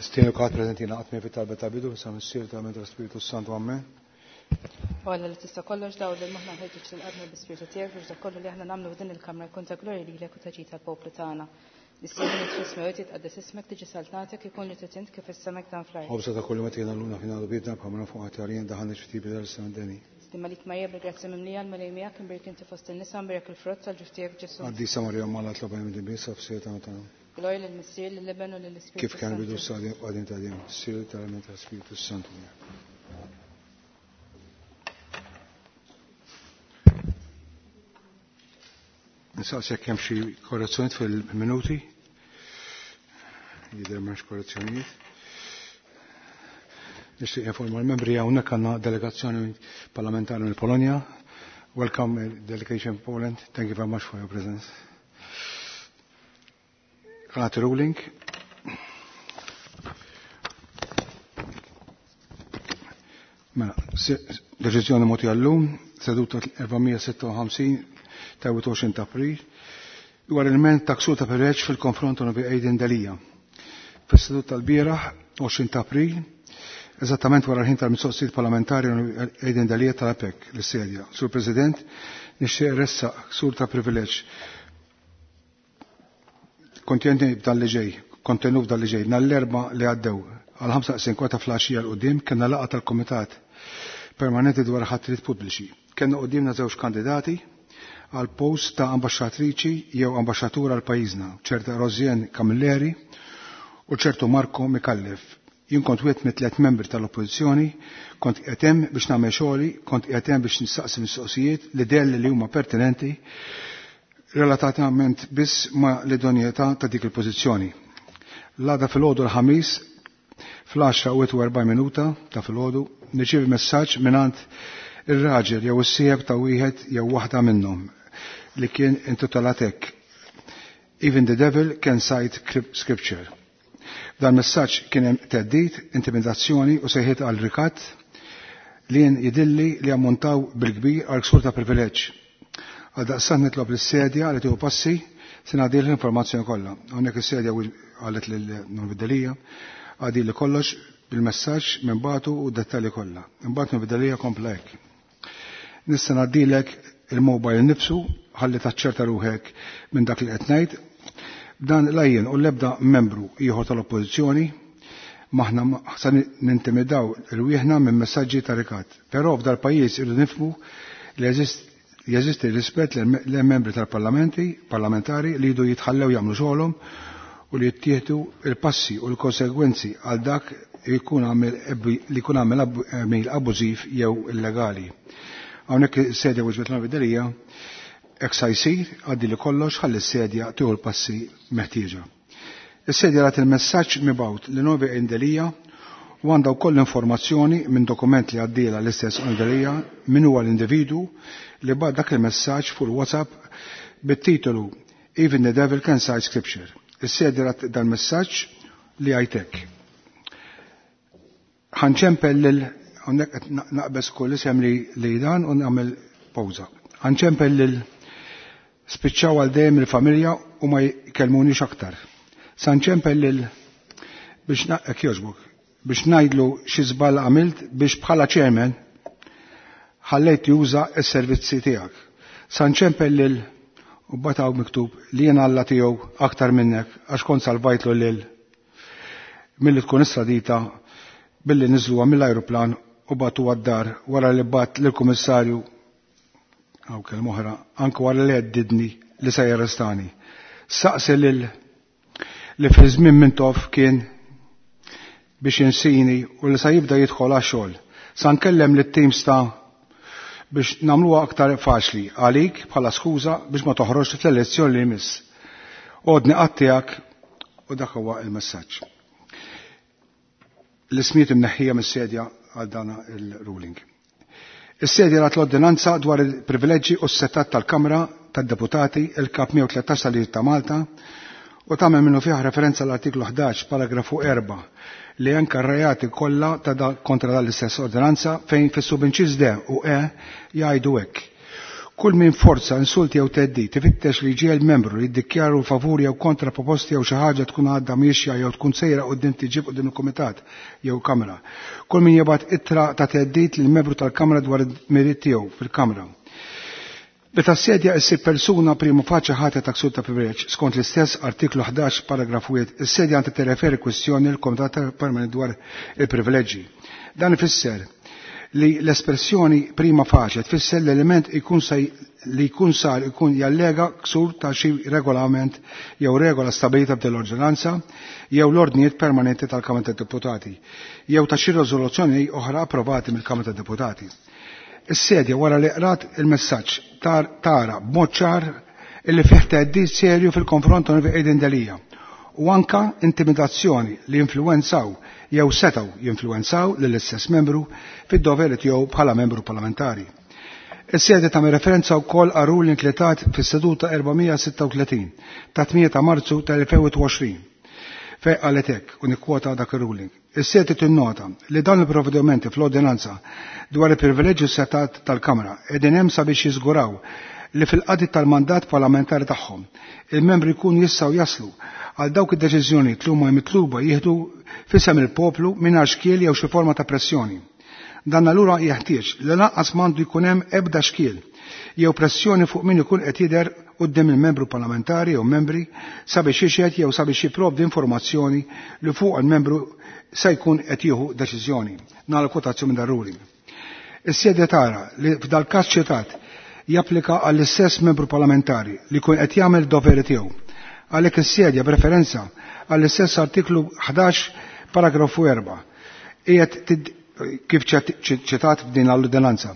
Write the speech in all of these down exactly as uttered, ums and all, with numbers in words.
Nistienu kulħadd preżenti jingħaqad miegħi fit-talba ta' bidu, sa Missier ta' Mentra Spiritu Santu Amen. U Alla li tista' kollox dawl lil moħħna ħeġġeġ lil qalbna bi-Spiritu tiegħek biex dak kollu li aħna nagħmlu f'din il-kamra jkun ta' glorja lilek u ta' ġid tal-poplu tagħna. Missier fis-smewwiet jitqaddes ismek tiġi saltnatek ikun li trid int kif is-sema dan fl-art. Ħobża ta' kull meta luna fina bidna bħamna fuq għatarien daħan ġftibi dal-sandeni. Stima lik Marija bil-grazzja mimlija l-Mulej miegħek imbierek inti fost in-nisa mbierek il-frott tal-ġuf tiegħek Ġesù. Qaddisa Marija Malla tloba minn dibisa f'sieta tagħna. Glorja lill-Missier, lill-Iben u lill-Ispiritu Kif kien bidu s-sadim qadim ta' dejjem, sir tal-element tal-Spiritu Santu. Nsaqsi jekk hemm xi korrezzjonijiet fil-minuti. Jidher m'hemmx korrezzjonijiet. Nixtieq informa l-membri hawnhekk għandna delegazzjoni parlamentari mill-Polonja. Welcome delegation Poland. Thank you very much for your presence. Għanati ruling. Mela, deċiżjoni moti għallum, seduta erba' sitta u ħamsin ta' wieħed u għoxrin ta' April, dwar il-ment ta' ksur ta' privileġġ fil-konfront ta' Aiden Delia. Fis-seduta tal-bieraħ, għoxrin ta' April, eżattament wara l-ħin tal-mistoqsijiet parlamentari Aiden Delia tal-APEC l-sedja. Sur President, nixtieq ressaq ksur ta' privileġġ. Kontenti b'dan li ġej, kontenut f'dan li ġej, nhar l-Erbgħa li għaddew għal ħamsa kwart ta' filgħaxija 'l quddiem kellna laqgħa tal-Kumitat Permanenti dwar ħatriet pubbliċi. Kellna quddiemna żewġ kandidati għal post ta' ambaxxatriċi jew ambaxxatur għal pajjiżna, ċerta Rosianne Camilleri u ċertu Marco Micallef. Jien kont wieħed mit tliet membri tal-Oppożizzjoni, kont qiegħed hemm biex nagħmel xogħli, kont qiegħed hemm biex nistaqsi mistoqsijiet li delli li huma pertinenti relatatament biss ma' l-idonjetà ta' dik il-pożizzjoni. L-għada filgħodu l-Ħamis fl-għaxra u wieħed u erbgħin minuta ta' filgħodu nirċievi messaġġ mingħand ir-raġel jew is-sieħeb ta' wieħed jew waħda minnhom li kien intitolat hekk. Even the devil can cite scripture. Dan messaġġ kien hemm theddid, intimidazzjoni u sejħiet għal rikatt li jien jidilli li ammontaw bil-kbir għal ksur ta' privileġġ. Għal daqstant nitlob lis-sedja li tieħu passi se ngħaddi l-informazzjoni kollha. Hawnhekk is-sedja qalet lil Norvi Delia għadi li kollox bil-messaġġ minn batu u d-dettalji kollha. Imbagħad Norvi Delia kompla hekk. Nista' ngħaddilek il-mobile nifsu ħalli taċċerta ruħek minn dak li qed ngħid. Dan lajjen u l-ebda membru ieħor tal-Oppożizzjoni maħna sa nintimidaw irwieħna minn messaġġi ta' rikat. Però f'dal pajjiż irridu nifhmu li jeżisti rispett lil membri tal-parlamenti, parlamentari li jridu jitħallew jagħmlu xogħolhom u li jittieħdu il-passi u l-konsegwenzi għal dak jkun għamel li jkun għamel għamil abbużiv jew illegali. Hawnhekk is-sedja wieġbet Norvi Delia hekk sa jsir għaddi li kollox ħalli s-sedja tieħu l-passi meħtieġa. Is-sedja rat il-messaġġ mibgħut li Novi Delia u għandha wkoll informazzjoni minn dokument li għaddiela l-istess Delia min huwa l-individu li bagħat dak il-messaġġ fuq il-WhatsApp bit-titolu Even the Devil Can Cite Scripture. Is-sedja rat dal-messaġġ li għajtek. Ħanċempel lil hawnhekk qed naqbeż kull isem li, li dan u nagħmel pawża. Ħanċempel lil spiċċaw għal dejjem il-familja u ma jkellmunix aktar. Sanċempel lil biex hekk jogħġbok, biex ngħidlu xi żball għamilt biex bħala chairman ħallejt juża s-servizzi tiegħek. Sanċempel lil u bataw miktub li jien Alla tiegħu aktar minnek għax kont salvajtlu lil milli tkun istradita billi niżluha mill-ajruplan u batu għad-dar wara li bat lill-kummissarju għaw kelma oħra, anke wara li għeddidni li se jarrestani. Saqsi lil li fi żmien Mintoff kien biex insini u li sa jibda jidħol għax-xogħol. Sa nkellem lit-teams ta' biex nagħmluha aktar faċli għalik bħala skuża biex ma toħroġx fl-elezzjoni li jmiss. Għodni qattijak u dak huwa il-messaġġ. L-ismijiet imneħħija mis-sedja għal dana il-ruling. Is-sedja rat l-ordinanza dwar il-privileġġi u s-setat tal-Kamra tad-Deputati il-Kap mija u tlettax tal-Liġi ta' Malta u tagħmel minnu fih referenza l-artiklu ħdax paragrafu erba' li anke r-reati kollha ta' da kontra dan l-istess ordinanza fejn fis-subinċiż D u E jgħidu hekk. Kull min forza, insulti jew theddid tifittex li ġiel membru li jiddikjaru favur jew kontra proposti jew xi ħaġa tkun għadha miexja jew tkun sejra quddiem tiġib quddiem il-kumitat jew kamra. Kull min jibgħat ittra ta' theddid lil membru tal-Kamra dwar id-miriet tiegħu fil-Kamra. Meta s-sedja issib persuna prima faċe ħatja ta' ksur ta' privileġġ skont l-istess artiklu ħdax paragrafu wieħed, is-sedja għandha tirreferi kwistjoni l-Komitat Permanenti dwar il-privileġġi. Dan ifisser li l-espressjoni prima faċe tfisser l-element ikun li jkun sar ikun jallega ksur ta' xi regolament jew regola stabilita b'dell-ordinanza jew l-ordnijiet permanenti tal-Kamra tad-Deputati jew ta' xi riżoluzzjoni oħra approvati mill-Kamra tad-Deputati. Is-sedja wara li qrat il-messaġġ tara b'mod ċar illi fih theddid serju fil-konfront ta' Aiden Delia u anka intimidazzjoni li influwenzaw jew setgħu jinfluwenzaw lill-istess membru fid-doveri tiegħu bħala membru parlamentari. Is-sedja tagħmel referenza wkoll għal ruling li tat fis-seduta erba' sitta u tletin ta' tmienja ta' Marzu tal-elfejn u għoxrin fejn qalet hekk u nikkwota dak ir-ruling. Is-sedja tinnota li dawn il-provvedimenti fl-ordinanza dwar il-privileġġi setat tal-Kamra qegħdin hemm sabiex jiżguraw li fil-qadi tal-mandat parlamentari tagħhom il-membri jkunu jistgħu jaslu għal dawk id-deċiżjonijiet li huma mitluba jieħdu f'isem il-poplu mingħajr xkiel jew xi forma ta' pressjoni. Dan allura jeħtieġ li lanqas m'għandu jkun hemm ebda xkiel jew pressjoni fuq min ikun qed jidher quddiem il-membru parlamentari jew membri sabiex jixhed jew sabiex jipprovdi informazzjoni li fuq il-membru se jkun qed jieħu deċiżjoni. Nagħlaq kwotazzjoni minn dan ruling. Is-sedja tara li f'dal każ ċitat japplika għall-istess membru parlamentari li jkun qed jagħmel doveri tiegħu. Għalhekk is-sedja b'referenza għall-istess artiklu ħdax paragrafu erba' qiegħed kif ċitat f'din l-ordinanza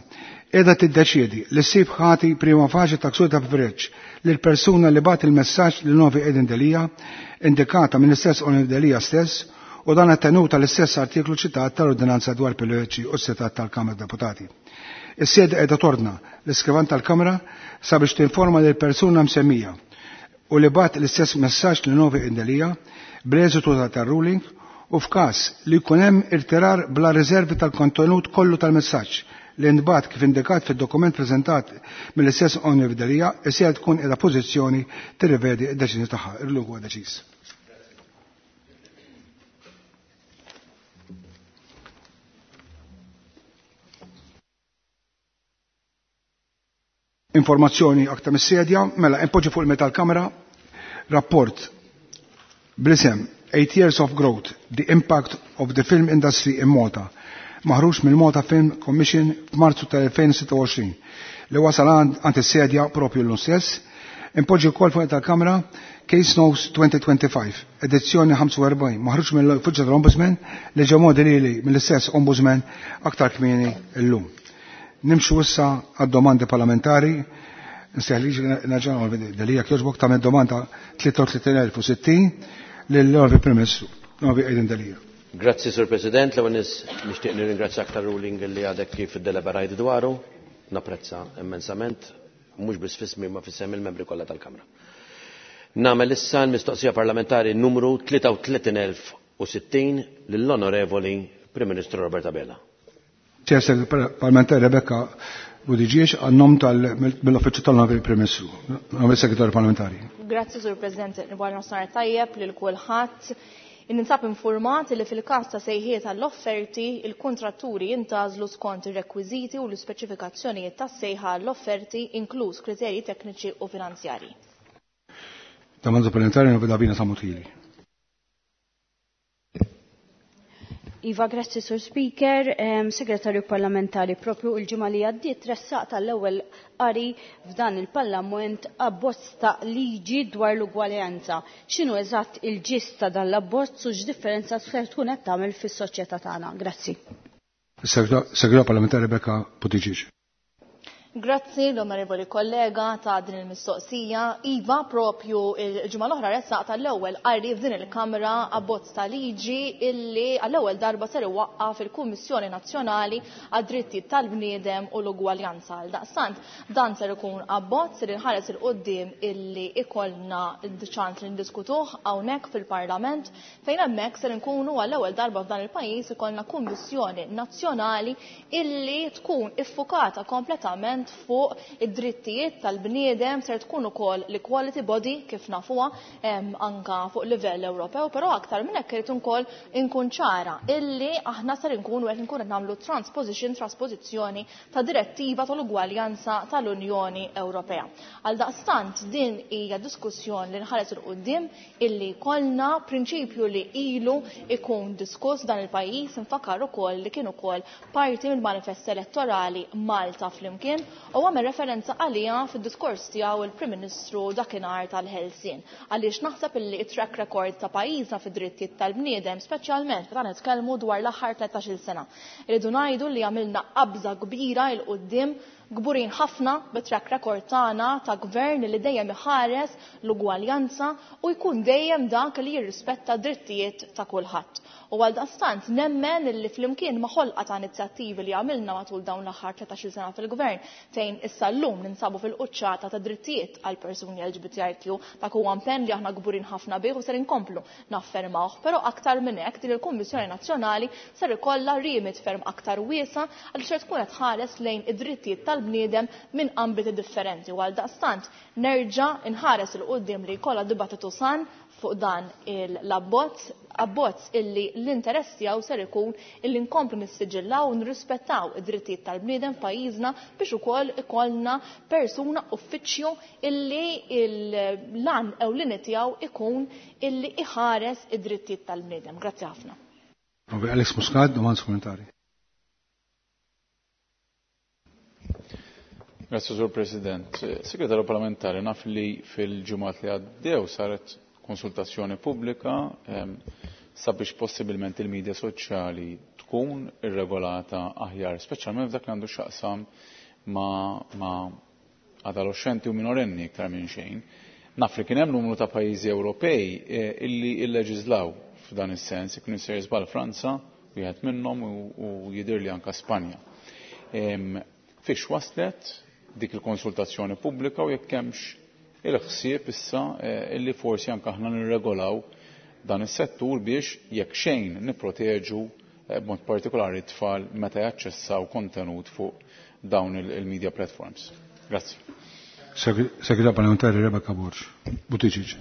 qiegħda tiddeċiedi li ssib ħati prima faċi ta' ksur ta' privileġġ lil persuna li bagħat il-messaġġ lil Novi Aiden Delia indikata mill-istess Onorevoli Delia stess u dan attenuta l-istess artiklu ċitat tal-ordinanza dwar privileġġi u s-setat tal-Kamra Deputati. Is-sede qiegħda torna l-iskrivan tal-Kamra sabiex tinforma lil persuna msemmija u li bagħat l-istess messaġġ lil Novi Aiden Delia bl-eżitu tar-ruling u f'każ li jkun hemm irtirar bla riservi tal-kontenut kollu tal-messaġġ li nbat kif indikat fid-dokument preżentat mill-istess Onorevoli Delia, is-sede tkun qiegħda pożizzjoni tirrivedi d-deċiżjoni tagħha. Il-lug huwa deċiż. Informazzjoni aktar mis-sedja, mela impoġġi fuq il-metal kamera rapport bl-isem Eight Years of Growth, The Impact of the Film Industry in Malta, maħruġ mill-Malta Film Commission f'Marzu tal-elfejn sitta u għoxrin, li wasal għand is-sedja propju l-lum stess. Impoġġi wkoll fuq tal-Kamra Case Notes twenty twenty-five, edizzjoni ħamsa u erbgħin, maħruġ mill-Uffiċċju tal-Ombudsman li ġew modelili mill-istess Ombudsman aktar kmieni llum. Nimxu issa għad-domandi parlamentari. Nseħ naġan Delia kjoġbok tagħmel domanda tlieta u tletin elf u sittin lill-Onorevoli Prim Ministru, Onorevoli Aiden Delia. Grazzi, Sur President. L-ewwel nixtieq nirringrazzjak tar-ruling li għadek kif iddeliberajt dwaru. Napprezza immensament, mhux biss f'ismi ma f'isem il-membri kollha tal-Kamra. Nagħmel issa l-mistoqsija parlamentari numru tlieta u tletin elf u sittin lill-Onorevoli Prim Ministru Robert Abela. Ċer Parlamentari Rebecca Buttigieg għan-nom mill-Uffiċċju tal-Onorevoli Prim Ministru, Onorevoli Segretarju Parlamentari. Grazzi, Sur President. Nibgħu nofsinhar tajjeb lil kulħadd. Ninsab informat li fil-każ ta' sejħiet għall-offerti, il-kontratturi jintgħażlu skont ir-rekwiżiti u l-ispeċifikazzjonijiet tas-sejħa għall-offerti, inkluż kriterji tekniċi u finanzjarji. Domanda parlamentari Onorevoli Davina Sammut Hili. Iva, grazzi Sur Speaker, um, Segretarju Parlamentari, propju il-ġimgħa li għaddiet tressaq tal-ewwel qari f'dan il-Parlament abbozz ta' liġi dwar l-ugwaljanza. X'inhu eżatt il-ġist ta' dan l-abbozz u x'differenza se tkun qed tagħmel fis-soċjetà tagħna? Grazzi. Segretarju Parlamentari Rebecca Buttigieg. Grazzi l-onorevoli kollega ta' din il-mistoqsija. Iva, propju il-ġimgħa l-oħra ressaq tal-ewwel qari f'din il-Kamra abbozz ta' liġi illi għall-ewwel darba ser iwaqqaf il-Kummissjoni Nazzjonali għad-Drittijiet tal-Bniedem u l-Ugwaljanza. Għal daqstant dan ser ikun abbozz li nħares il quddiem illi ikollna ċans li ndiskutuh hawnhekk fil-Parlament, fejn hemmhekk ser inkunu għall-ewwel darba f'dan il-pajjiż ikollna Kummissjoni Nazzjonali illi tkun iffukata kompletament ovvjament fuq id-drittijiet tal-bniedem, ser tkun ukoll l-equality body kif nafuha anka fuq livell Ewropew, però aktar minn hekk irid ukoll inkun ċara illi aħna ser inkunu qed nkunu qed nagħmlu transposition, trasposizzjoni ta' direttiva tal-ugwaljanza tal-Unjoni Ewropea. Għaldaqstant din hija diskussjoni li nħares il quddiem illi kollna prinċipju li ilu ikun diskuss dan il-pajjiż, nfakkar ukoll li kien ukoll parti mill-manifest elettorali Malta Flimkien u għamel referenza għalija fid-diskors tiegħu il-Prim Ministru dakinhar tal-Ħelsien. Għaliex naħseb illi it-track record ta' pajjiżna fid-drittijiet tal-bniedem, speċjalment meta nitkellmu dwar l-aħħar tlettax-il sena. Irridu ngħidu li għamilna qabża kbira il quddiem, kburin ħafna bit-track record tagħna ta' gvern li dejjem iħares l-ugwaljanza u jkun dejjem dak li jirrispetta drittijiet ta' kulħadd. U għaldaqstant nemmen li flimkien ma' ħolqa ta' inizjattivi li għamilna matul dawn l-aħħar tlettax-il sena fil-gvern, fejn issa llum ninsabu fil-quċċata ta' drittijiet għal persuni L G B T I Q, dak huwa impenn li aħna kburin ħafna bih u ser inkomplu naffermawh, però aktar minn hekk din il-Kummissjoni Nazzjonali ser ikollha rimit ferm aktar wiesa għal ser tkun qed tħares lejn id-drittijiet tal-bniedem minn ambiti differenti. U għaldaqstant nerġa' nħares il quddiem li jkollha dibattitu san fuq dan l-abbozz, abbozz illi l-interess tiegħu ser ikun illi nkomplu nissiġillaw u nirrispettaw id-drittijiet tal-bniedem f'pajjiżna biex ukoll ikollna persuna uffiċċju illi l-għan ewlieni tiegħu ikun illi iħares id-drittijiet tal-bniedem. Grazzi ħafna. Alex Muscat, domanda supplementari. Grazie, Sur President. Segretarju Parlamentari, naf li fil-ġimgħat li għaddew saret konsultazzjoni pubblika ehm, sabiex possibilment il-medja soċjali tkun irregolata aħjar, speċjalment f'dak li għandu x'jaqsam ma', ma adolescenti u minorenni iktar minn xejn. Naf li kien hemm numru ta' pajjiżi Ewropej eh, illi illeġislaw f'dan is-sens, ikun isir żball Franza, wieħed minnhom u, u jidhirli anke Spanja. Ehm, fiex waslet dik il-konsultazzjoni pubblika u jekk hemmx il-ħsieb issa eh, illi forsi anke aħna nirregolaw dan is-settur biex jekk xejn nipproteġu eh, b'mod partikolari t-tfal meta jaċċessaw kontenut fuq dawn il-media platforms. Grazzi. Segretarju Parlamentari Rebecca Borg Buttigieg.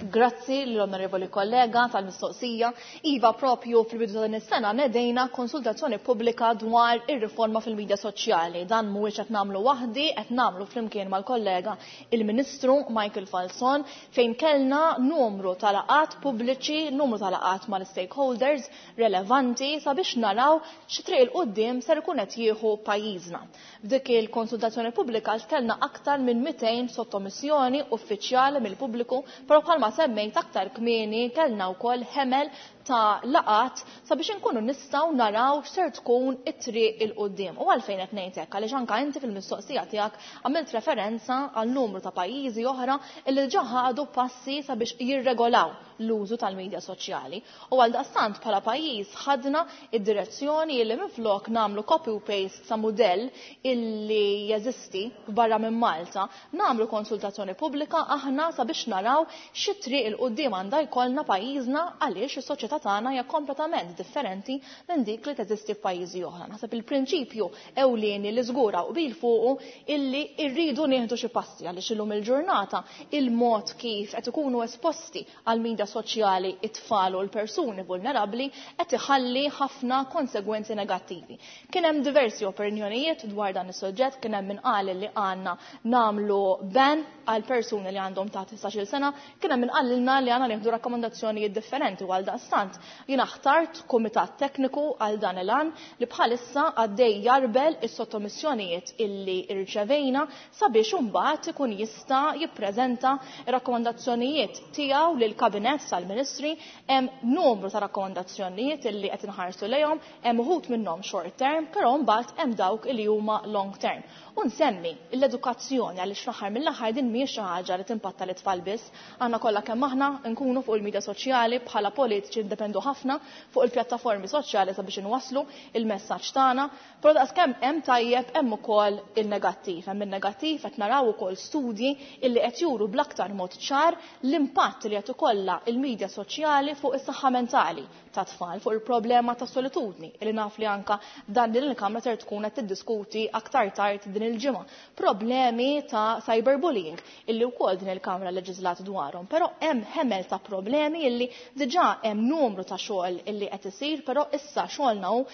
Grazzi l-onorevoli kollega tal-mistoqsija. Iva, propju fil-bidu ta' din is-sena nedejna konsultazzjoni pubblika dwar ir-riforma fil-medja soċjali. Dan mhuwiex qed nagħmlu waħdi, qed nagħmlu flimkien mal-kollega il-Ministru Michael Falzon, fejn kellna numru ta' laqgħat pubbliċi, numru ta' laqgħat mal-stakeholders relevanti sabiex naraw xi triq il quddiem ser ikun qed jieħu pajjiżna. F'dik il-konsultazzjoni pubblika kellna aktar minn mitejn sottomissjoni uffiċjali mill-pubbliku, però bħalma semmejt aktar kmieni kellna wkoll ħemel ta' laqat sabiex inkunu nistgħu naraw x'ser tkun it-triq il quddiem. U għalfejn qed ngħid hekk, għaliex anke inti fil-mistoqsija tiegħek għamilt referenza għal numru ta' pajjiżi oħra li diġà ħadu passi sabiex jirregolaw l-użu tal-medja soċjali. U għaldaqstant bħala pajjiż ħadna id-direzzjoni li minflok nagħmlu copy u paste sa' mudell illi jeżisti barra minn Malta, nagħmlu konsultazzjoni pubblika aħna sabiex naraw xi triq il quddiem għandha jkollna pajjiżna, għaliex is-soċjetà tagħna hija kompletament differenti minn dik li teżisti f'pajjiżi oħra. Naħseb il-prinċipju ewlieni li żgura u bil fuqu illi rridu nieħdu xi passi għaliex illum il-ġurnata il-mod kif qed ikunu esposti għal media soċjali it-tfal u l-persuni vulnerabbli qed iħalli ħafna konsegwenzi negattivi. Kien hemm diversi opinjonijiet dwar dan is-suġġett, kien hemm min qal li għandna nagħmlu ban għal persuni li għandhom ta' tlettax-il sena, kien hemm min qalilna li għandna nieħdu rakkomandazzjonijiet differenti u għal daqstant jiena ħtart kumitat tekniku għal dan il-għan li bħalissa għaddej jarbel is-sottomissjonijiet illi rċevejna sabiex imbagħad ikun jista' jippreżenta rakkomandazzjonijiet tiegħu lill-Kabinett tal-Ministri. Hemm numru ta' rakkomandazzjonijiet illi qed inħarsu lejhom, hemm uħud minnhom short term, però mbagħad hemm dawk illi huma long term. U nsemmi l-edukazzjoni għaliex fl-aħħar mill-aħħar din mhijiex xi ħaġa li timpatta l-itfal biss, għandna kollha kemm aħna nkunu fuq il-medja soċjali bħala politiċi ndependu ħafna fuq il-pjattaformi soċjali sabiex inwasslu il-messaġġ tagħna, però daqskemm hemm tajjeb hemm ukoll il-negattiv. Hemm il-negattiv qed naraw ukoll studji illi qed juru bl-aktar mod ċar l-impatt li qed ikollha il-medja soċjali fuq is-saħħa mentali ta' tfal, fuq il-problema ta' solitudni illi naf li anka dan din il-Kamra ser tkun qed tiddiskuti aktar tard din il-ġimgħa. Problemi ta' cyberbullying illi wkoll din il-Kamra leġislat dwarhom, però hemm ħemel ta' problemi illi diġà hemm numru ta' xogħol illi qed isir, però issa xogħolna hu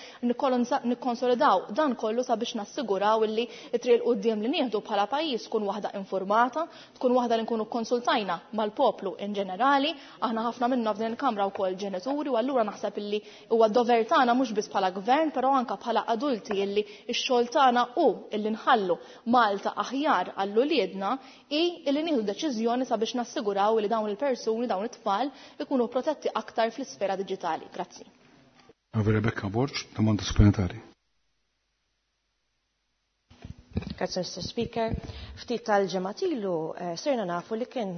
nikkonsolidaw dan kollu sabiex nassiguraw illi t-triq 'il quddiem li nieħdu bħala pajjiż tkun waħda informata, tkun waħda li nkunu konsultajna mal-poplu in ġenerali, aħna ħafna minna f'din il-Kamra wkoll ġenituri u allura naħseb illi huwa dover tagħna mhux biss bħala gvern, però anke bħala adulti illi x-xogħol tagħna hu illi nħallu Malta aħjar għall-uliedna hi illi nieħdu deċiżjoni sabiex nassiguraw li dawn il-persuni, dawn it-tfal ikunu protetti aktar fl-isfera diġitali. Grazzi. Rebecca Borg, domanda supplementari. Grazie, Mister Speaker. Ftit tal-ġimgħat ilu sirna nafu li kien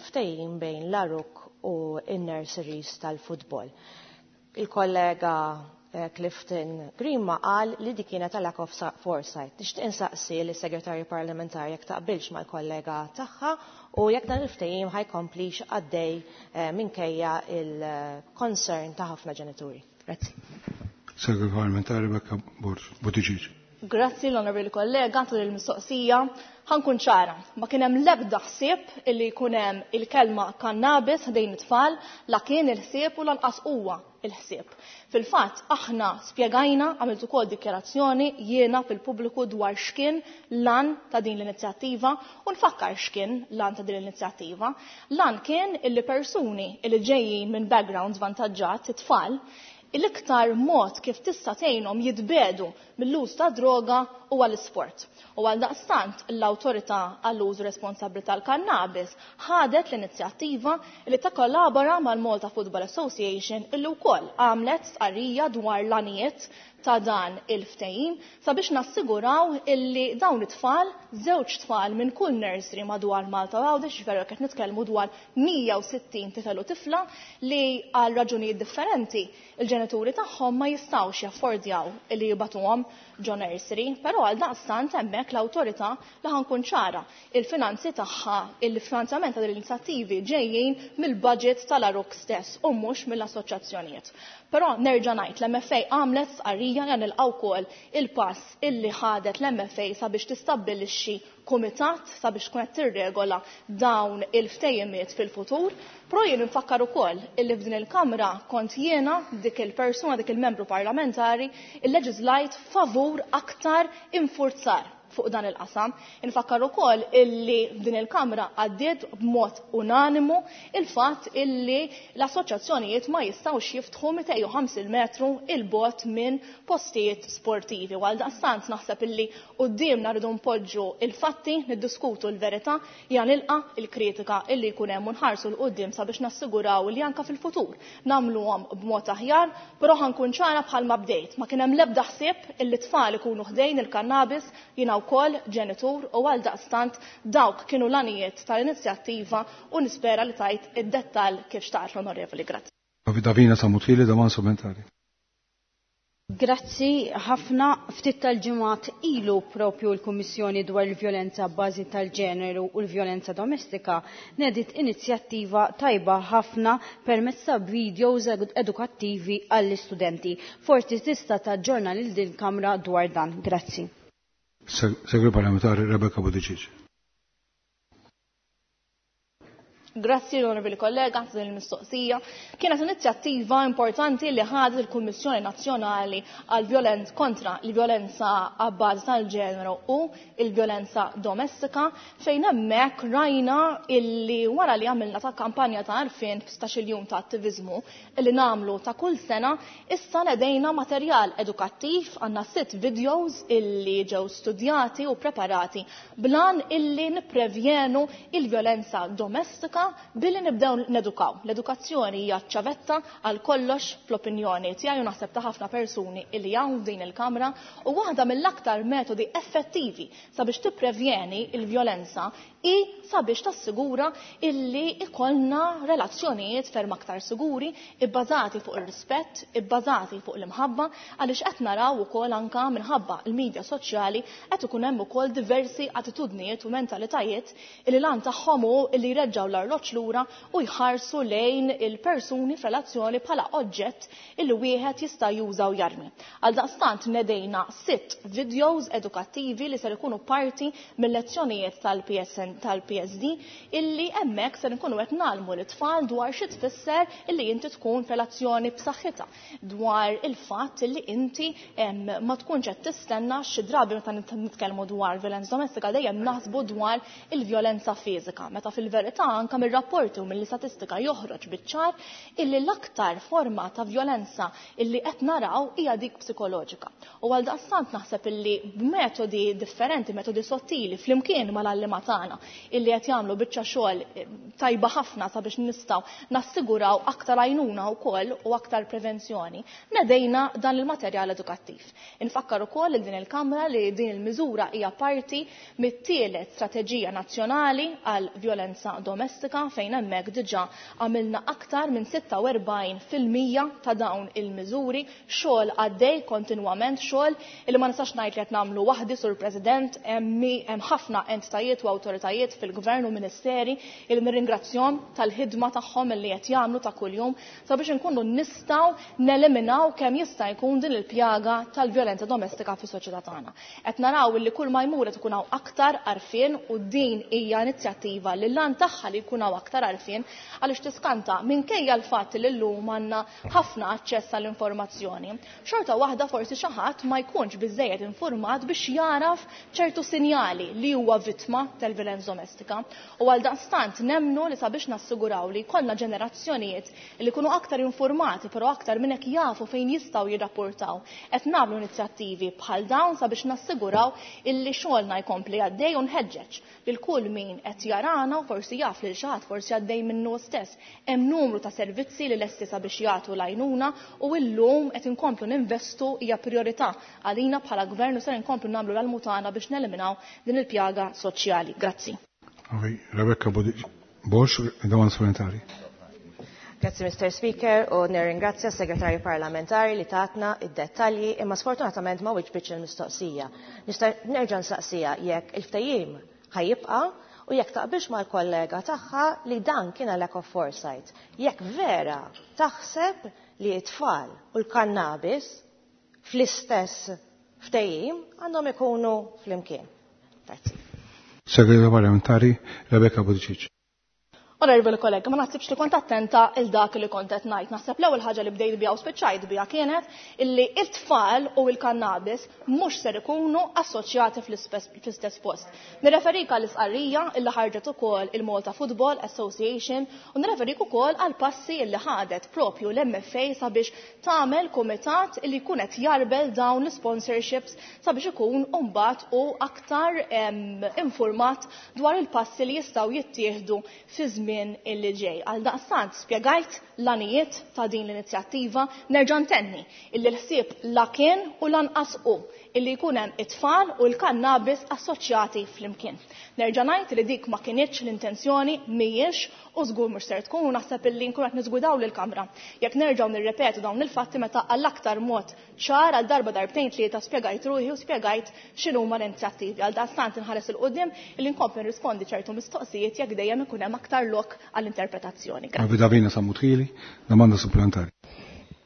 ftehim bejn l-A R U C u n-nurseries tal-futbol. Il-kollega Clifton Grima qal li di kienet lack of foresight. Nixtieq insaqsi lis segretarju parlamentari jekk taqbilx mal-kollega tagħha u jekk dan il-ftehim ħa jkomplix għaddej minkejja il-concern ta' ħafna ġenituri. Grazzi. Segretarju parlamentari Rebecca Borg Buttigieg. Grazzi l-onorevoli kollega tul il-mistoqsija. Ħa nkun ċara, ma kien hemm l-ebda ħsieb illi jkun hemm il-kelma kannabis ħdejn it-tfal, la kien il-ħsieb u lanqas huwa il-ħsieb. Fil-fatt aħna spjegajna, għamilt ukoll dikjarazzjoni jiena fil-pubbliku dwar x'kien l-għan ta' din l-inizjattiva u nfakkar x'kien l-għan ta' din l-inizjattiva. L-għan kien illi persuni illi ġejjin minn backgrounds vantaġġat, it-tfal, l-iktar mod kif tista' tgħinhom jitbedu mill-uż ta' droga huwa l-isport. U għal daqstant l-awtorità għall-użu responsabbli tal-kannabis ħadet l-inizjattiva li takkollabora mal-Malta Football Association illi wkoll għamlet stqarrija dwar l-għanijiet ta' dan il-ftehim sabiex nassiguraw illi dawn it-tfal, żewġ tfal minn kull nursery madwar Malta u Għawdex, ġifieri qed nitkellmu dwar mija u sittin tifel u tifla li għal raġunijiet differenti il-ġenituri tagħhom ma jistgħux jaffordjaw illi jibatuhom ġo nursery, però għal daqstant hemmhekk l-awtorità li ħa nkun ċara il-finanzi tagħha, il-finanzjament ta' l-inizjattivi ġejjin mill-budget tal-A R U C stess u mhux mill-assoċjazzjonijiet. Però nerġa' ngħid l-M F A għamlet stqarrija li nilqgħu wkoll il-pass illi ħadet l-M F A sabiex tistabbilixxi kumitat sabiex tkun qed tirregola dawn il-ftehimiet fil-futur. Però jien nfakkar ukoll illi f'din il-Kamra kont jiena dik il-persuna, dik il-membru parlamentari illeġislajt favur aktar infurzar fuq dan il-qasam. Infakkar ukoll illi f'din il-Kamra għaddiet b'mod unanimu il-fatt illi l-assoċjazzjonijiet ma jistgħux jiftħu mitejn u ħamsin metru il-bogħod minn postijiet sportivi. Għal daqstant naħseb illi quddiemna rridu npoġġu il-fatti, niddiskutu l-verità, jiena nilqa' il-kritika illi jkun hemm u nħarsu 'l quddiem sabiex nassiguraw li anke fil-futur nagħmluhom b'mod aħjar, però ħa nkun ċara bħalma bdejt. Ma kien hemm l-ebda ħsieb illi tfal ikunu ħdejn il-kannabis, jiena wkoll ġenitur u għal daqstant dawk kienu l-għanijiet tal-inizjattiva u nispera li tajt id-dettall kif xtaqt l-onorevoli. Grazzi. Davina Samutili, domanda supplementari. Grazzi ħafna. Ftit tal-ġimgħat ilu propju l-Kummissjoni dwar il-vjolenza bbażi tal-ġeneru u l-vjolenza domestika nedit inizjattiva tajba ħafna permezz ta' videos edukattivi għall-istudenti. Forsi tista' taġġorna lil din kamra dwar dan. Grazzi. Segretarju parlamentari Rebecca Buttigieg. Grazzi l-onorevoli kollega għal din il-mistoqsija. Kienet inizjattiva importanti li ħadet il-Kummissjoni Nazzjonali għal violenz kontra l-vjolenza għabbażi tal-ġeneru u il-vjolenza domestika, fejn hemmhekk rajna illi wara li għamilna ta' kampanja ta' għarfien f'sittax-il jum ta' attiviżmu illi nagħmlu ta' kull sena, issa nedejna materjal edukattiv, għandna sitt videos illi ġew studjati u preparati blan illi nipprevjenu il-vjolenza domestika. Anka billi nibdew nedukaw. L-edukazzjoni hija ċavetta għal kollox fl-opinjoni tiegħi u naħseb ta' ħafna persuni illi hawn f'din il-Kamra u waħda mill-aktar metodi effettivi sabiex tipprevjeni il-vjolenza i sabiex tassigura illi ikollna relazzjonijiet ferm aktar siguri, ibbażati fuq ir-rispett, ibbażati fuq l-imħabba, għaliex qed naraw ukoll anka minħabba l-medja soċjali qed ikun hemm ukoll diversi attitudnijiet u mentalitajiet illi lan tagħhom hu illi jreġġgħu l-arloġġ lura u jħarsu lejn il-persuni f'relazzjoni bħala oġġett illi wieħed jista' juża u jarmi. Għal daqstant nedejna sitt videos edukattivi li ser ikunu parti mill-lezzjonijiet tal-P S N tal-P S D illi hemmhekk ser nkunu qed nagħlmu l-tfal dwar xi tfisser illi inti tkun f'relazzjoni b'saħħitha, dwar il-fatt illi inti em, ma tkunx qed tistenna. Xi drabi meta nitkellmu dwar violenza domestika dejjem naħsbu dwar il-vjolenza fiżika, meta fil-verità anke mir-rapporti u mill-istatistika joħroġ biċ-ċar illi l-aktar forma ta' vjolenza illi qed naraw hija dik psikoloġika. U għal daqstant naħseb illi b'metodi differenti, metodi sottili, flimkien mal-għalliema tagħna illi qed jagħmlu biċċa xogħol eh, tajba ħafna sabiex nistgħu nassiguraw aktar għajnuna wkoll u aktar prevenzjoni, nedejna dan il-materjal edukattiv. Infakkar ukoll lil din il-Kamra li din il-miżura hija parti mit-tielet strateġija nazzjonali għal vjolenza domestika, fejn hemmhekk diġà għamilna aktar minn sitta u erbgħin fil-mija ta' dawn il-miżuri, xogħol għaddej kontinwament, xogħol illi ma nistax ngħid li qed nagħmlu waħdi, Sur President, hemm ħafna entitajiet u awtoritajiet fil-gvern u ministeri il nirringrazzjahom tal-ħidma tagħhom li qed jagħmlu ta' kuljum sabiex inkunu nistgħu neliminaw kemm jista' jkun din il-pjaga tal-vjolenza domestika fis-soċjetà tagħna. Qed naraw li kull ma jmur qed ikun hawn aktar għarfien u din hija inizjattiva li l-għan tagħha li jkun hawn aktar għarfien, għaliex tiskanta, minkejja l-fatt li llum għandna ħafna aċċess għall-informazzjoni, xorta waħda forsi xi ħadd ma jkunx biżejjed informat biex jaraf ċertu sinjali li huwa vittma tal-violenza domestika. U għal daqstant nemnu li sabiex nassiguraw li jkollna ġenerazzjonijiet li jkunu aktar informati, però aktar minn hekk jafu fejn jistgħu jirrapportaw, qed nagħmlu inizjattivi bħal dawn sabiex nassiguraw illi xogħolna jkompli għaddej u nħeġġeġ lil kull min qed jarana u forsi jaf lil xi ħadd, forsi għaddej minnu stess. Hemm numru ta' servizzi li lesti sabiex jagħtu l-għajnuna u llum qed inkomplu ninvestu, hija priorità għalina bħala gvern u ser inkomplu nagħmlu l-almu tagħna biex neliminaw din il-pjaga soċjali. Grazzi. Rebecca Borg, domanda supplementari. Grazzi, Mister Speaker, u nirringrazzja s-Segretarju Parlamentari li tatna id-dettalji, imma sfortunatament ma wiġbitx il-mistoqsija. Nista' nerġa' nsaqsija jekk il-ftehim ħa jibqa' u jekk taqbilx mal-kollega tagħha li dan kien lack of foresight. Jekk vera taħseb li t-tfal u l-kannabis fl-istess ftehim għandhom ikunu flimkien. Grazzi. Segretarju Parlamentari Rebecca Buttigieg. Onorevoli kollega, ma naħsibx li kont attenta il dak li kont qed ngħid. Naħseb l-ewwel ħaġa li bdejt biha u spiċċajt biha kienet illi it-tfal u l-kannabis mhux ser ikunu assoċjati fl-istess post. Nirreferik għall isqarrija illi ħarġet ukoll il-Malta Football Association u nirreferik ukoll għal passi illi ħadet propju l-M F A sabiex tagħmel kumitat illi jkun qed jarbel dawn l-sponsorships sabiex ikun mbagħad u aktar informat dwar il-passi li jistgħu jittieħdu fi żmien illi ġej. Għal daqstant spjegajt l-għanijiet ta' din l-inizjattiva, nerġa' ntenni illi l-ħsieb la kien u lanqas u illi jkun hemm it-tfal u l-kannabis assoċjati flimkien. Nerġa' ngħid li dik ma kinitx l-intenzjoni, mhijiex u żgur mhux ser tkun, u naħseb illi nkun qed niżgwidaw lill-Kamra jekk nerġgħu nirrepetu dawn il-fatti meta għall-aktar mod ċar għal darba, darbtejn, tlieta spjegajt ruħi u spjegajt x'inhuma l-inizjattivi. Għal daqstant inħares 'il quddiem illi nkompli nirrispondi ċertu mistoqsijiet jekk dejjem ikun hemm aktar lok għall-interpretazzjoni. Davina Sammut Hili, domanda supplementari.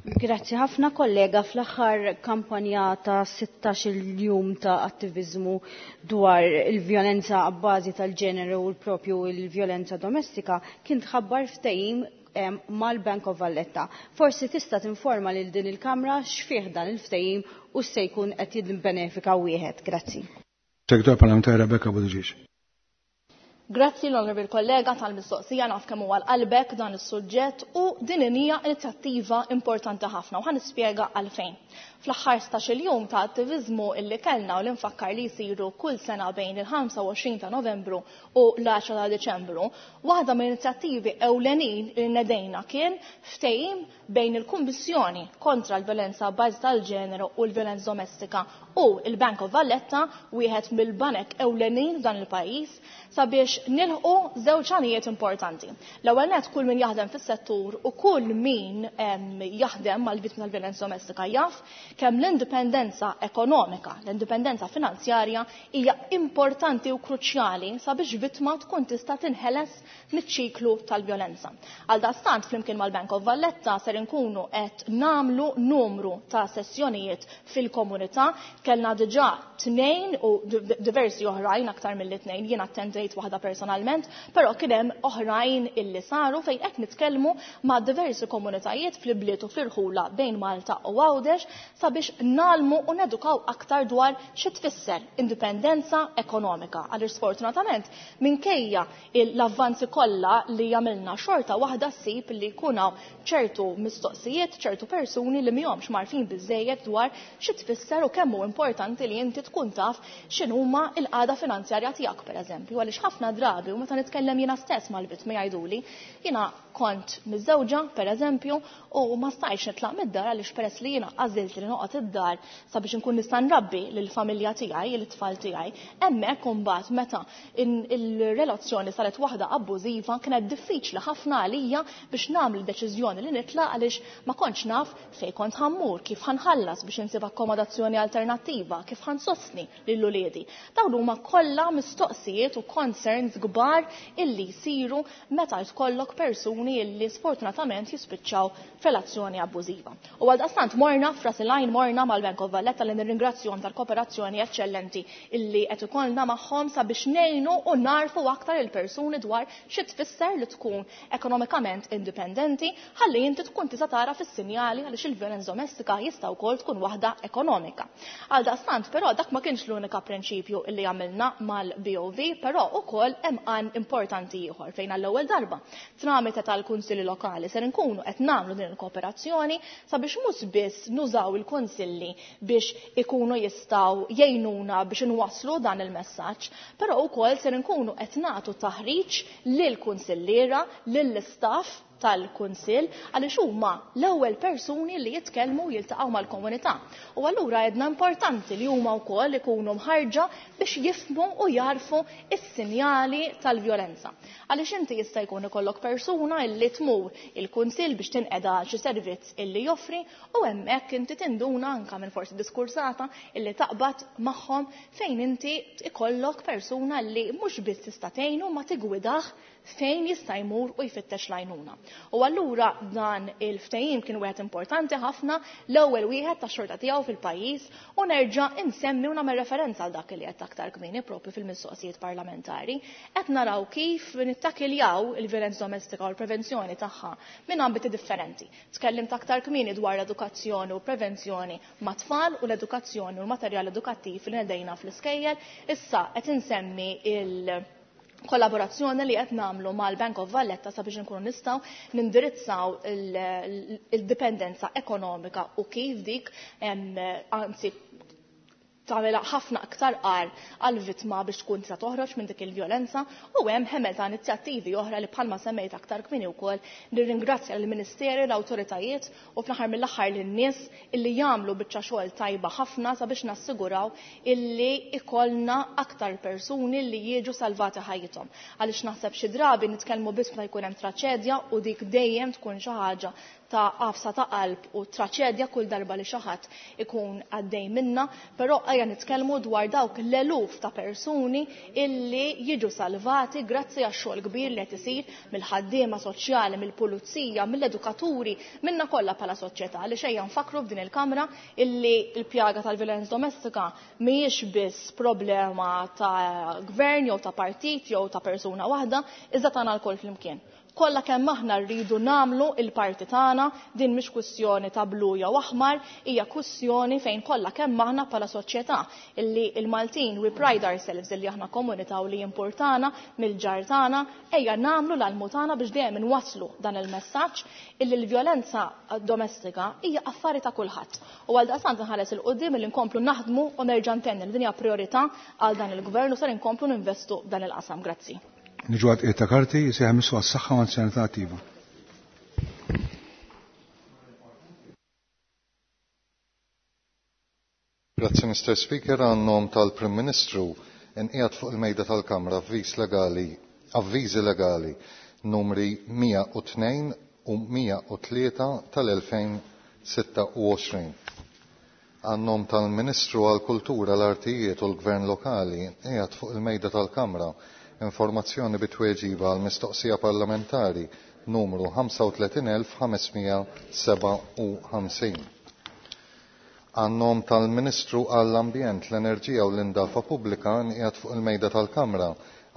Grazzi ħafna, kollega. Fl-aħħar kampanja ta' sittax-il jum ta' attivizmu dwar il-vjolenza għabbażi tal-ġeneru u l-propju il-vjolenza domestika kien tħabbar ftehim mal-Bank of Valletta. Forsi tista' tinforma lil din il-Kamra x'fih dan il-ftehim u se jkun qed jibbenefika wieħed. Grazzi. Segretarju Parlamentari Rebecca Buttigieg. Grazzi l-onorevoli kollega tal-mistoqsija, naf kemm huwa qalbek dan is-suġġett u din hija inizjattiva importanti ħafna u ħa nispjega għalfejn. Fl-aħħar stax-il jum ta' attiviżmu illi kellna u li nfakkar li jsiru kull sena bejn il-ħamsa u għoxrin ta' Novembru u l-għaxra ta' Diċembru, waħda mill-inizjattivi ewlenin li nedejna kien ftehim bejn il-Kummissjoni kontra l-Violenza Bażi tal-Ġeneru u l-Violenza Domestika u il-Bank of Valletta, wieħed mill-banek ewlenin f'dan il-pajjiż, sabiex nilħqu żewġ għanijiet importanti. L-ewwel nett, kull min jaħdem fis-settur u kull min jaħdem mal-vittmi tal-violenza domestika jaf kemm l-indipendenza ekonomika, l-indipendenza finanzjarja hija importanti u kruċjali sabiex vittma tkun tista' tinħeles miċ-ċiklu tal-vjolenza. Għaldaqstant, flimkien mal-Bank of Valletta ser inkunu qed nagħmlu numru ta' sessjonijiet fil-komunità. Kellna diġà tnejn u diversi oħrajn aktar mill-tnejn, jien attendejt waħda personalment, però kien hemm oħrajn illi saru fejn qed nitkellmu ma' diversi komunitajiet fl-ibliet u fl-irħula bejn Malta u Għawdex sabiex nalmu u nedukaw aktar dwar xi tfisser indipendenza ekonomika. Għaliex sfortunatament minkejja l-avvanzi kollha li jagħmilna xorta waħda ssib li jkun hawn ċertu mistoqsijiet, ċertu persuni li mihomx marfin biżejjed dwar xi tfisser u kemm hu importanti li inti tkun taf x'inhuma l-qagħda finanzjarja tiegħek, pereżempju, għaliex ħafna drabi, u meta nitkellem jiena stess mal-vittmi jgħiduli, jiena kont miżżewġa pereżempju u ma stajtx nitlaq mid-dar għaliex peress li jiena għażilt li noqgħod id-dar sabiex inkun nista' nrabbi lill-familja tiegħi, lit-tfal tiegħi, hemmhekk imbagħad meta il-relazzjoni saret waħda abbużiva kienet diffiċli ħafna għalija biex nagħmel deċiżjoni li nitlaq għaliex ma kontx naf fejn kont ħammur, kif ħanħallas biex insib akkomodazzjoni alternattiva, kif ħansostni lil uliedi. Dawn huma kollha mistoqsijiet u concerns kbar illi jsiru meta jkollok persuni illi sfortunatament jispiċċaw f'relazzjoni abbużiva. U għaldaqstant morna f'ras il-għajn, morna mal-Bank of Valletta li nirringrazzjahom tal-kooperazzjoni eċċellenti illi qed ikollna magħhom sabiex ngħinu u narfu aktar il-persuni dwar xi tfisser li tkun ekonomikament indipendenti ħalli inti tkun tista' tara fis-sinjali għaliex il-vjolenza domestika jista' wkoll tkun waħda ekonomika. Għaldaqstant però dak ma kienx l-unika prinċipju illi għamilna mal-B O V, però ukoll hemm għan importanti ieħor fejn għall-ewwel darba tramite tal-kunsilli lokali ser inkunu qed nagħmlu din il-kooperazzjoni sabiex mhux biss nużaw il-kunsilli biex ikunu jistgħu jgħinuna biex inwasslu dan il-messaġġ, però wkoll ser inkunu qed nagħtu taħriġ lill-kunsilliera, lill-istaff tal-kunsill, għaliex huma l-ewwel persuni li jitkellmu u jiltaqgħu mal-komunità. U allura għedna importanti li huma wkoll ikunu mħarġa biex jifhmu u jarfu s-sinjali tal-vjolenza. Għaliex inti jista' jkun ikollok persuna illi tmur il-kunsill biex tinqeda xi servizz illi joffri u hemmhekk inti tinduna anke minn forsi diskursata illi taqbad magħhom fejn inti ikollok persuna li mhux biss tista' tgħinu ma tigwidah fejn jista' jmur u jfittex l-għajnuna. U allura dan il-ftehim kien wieħed importanti ħafna, l-ewwel wieħed tax-xorta tiegħu fil-pajjiż, u nerġa' insemmi u nagħmel referenza għal dak li qed aktar kmieni propju fil-mistoqsijiet parlamentari. Qed naraw kif nittakiljaw il-violenza domestika u l-prevenzjoni tagħha minn ambiti differenti. Tkellimt aktar kmieni dwar l-edukazzjoni u prevenzjoni ma' tfal u l-edukazzjoni u l-materjal edukattiv li nedejna fl-iskejjel. Issa qed insemmi il- kollaborazzjoni li qed nagħmlu mal-Bank of Valletta sabiex inkunu nistgħu nindirizzaw il-dipendenza ekonomika u kif dik, anzi tagħmilha ħafna aktar qar għall-vittma biex tkun tista' toħroġ minn dik il-vjolenza, u hemm ħemel ta' inizjattivi oħra li bħalma semmejt aktar kmieni wkoll nirringrazzja lill-Ministeri, l-awtoritajiet u fl-aħħar mill-aħħar lin-nies illi jagħmlu biċċa xogħol tajba ħafna sabiex nassiguraw illi ikollna aktar persuni li jiġu salvati ħajjithom. Għaliex naħseb xi drabi nitkellmu biss meta jkun hemm traċedja u dik dejjem tkun xi ħaġa ta' qafsa ta' qalb u traċedja kull darba li xi ħadd ikun għaddej minna, però ejja nitkellmu dwar dawk l-eluf ta' persuni illi jiġu salvati grazzi għax-xogħol kbir li qed isir mill-ħaddiema soċjali, mill-pulizija, mill-edukaturi, minna kollha bħala soċjetà. Għaliex ejja nfakru f'din il-kamra illi l-pjaga tal-violenza domestika mhijiex biss problema ta' gvern jew ta' partit jew ta' persuna waħda, iżda tagħna lkoll flimkien. Kollha kemm aħna rridu nagħmlu il-parti tagħna, din mhix kwistjoni ta' blu jew aħmar, hija kwistjoni fejn kollha kemm aħna bħala soċjetà illi il-Maltin we pride ourselves illi aħna komunità u li importana mill-ġar tagħna, ejja nagħmlu l-almu tagħna biex dejjem inwasslu dan il-messaġġ illi l-vjolenza domestika hija affari ta' kulħadd. U għal daqstant nħares il quddiem illi nkomplu naħdmu u nerġa' ntenni li din hija priorità għal dan il-gvern u ser inkomplu ninvestu dan il-qasam. Grazzi. Niġu għad ta' karti jisejħ missu għas-saħħa u anzjanità attiva. Grazzi Mister Speaker, għan-nom tal-Prim Ministru nqiegħed fuq il-mejda tal-Kamra avviż legali, avviżi legali numri mija u tnejn u mija u tlieta tal-elfejn sitta u għoxrin. Għan-nom tal-Ministru għall-Kultura, l-Artijiet u l-Gvern Lokali qiegħed fuq il-mejda tal-Kamra informazzjoni bitweġiba għal mistoqsija parlamentari numru ħamsa u tletin elf ħamesmija seba' u ħamsin. Għan-nom tal-Ministru għall-Ambjent, l-Enerġija u l-Indafa Pubblika nqiegħed fuq il-mejda tal-Kamra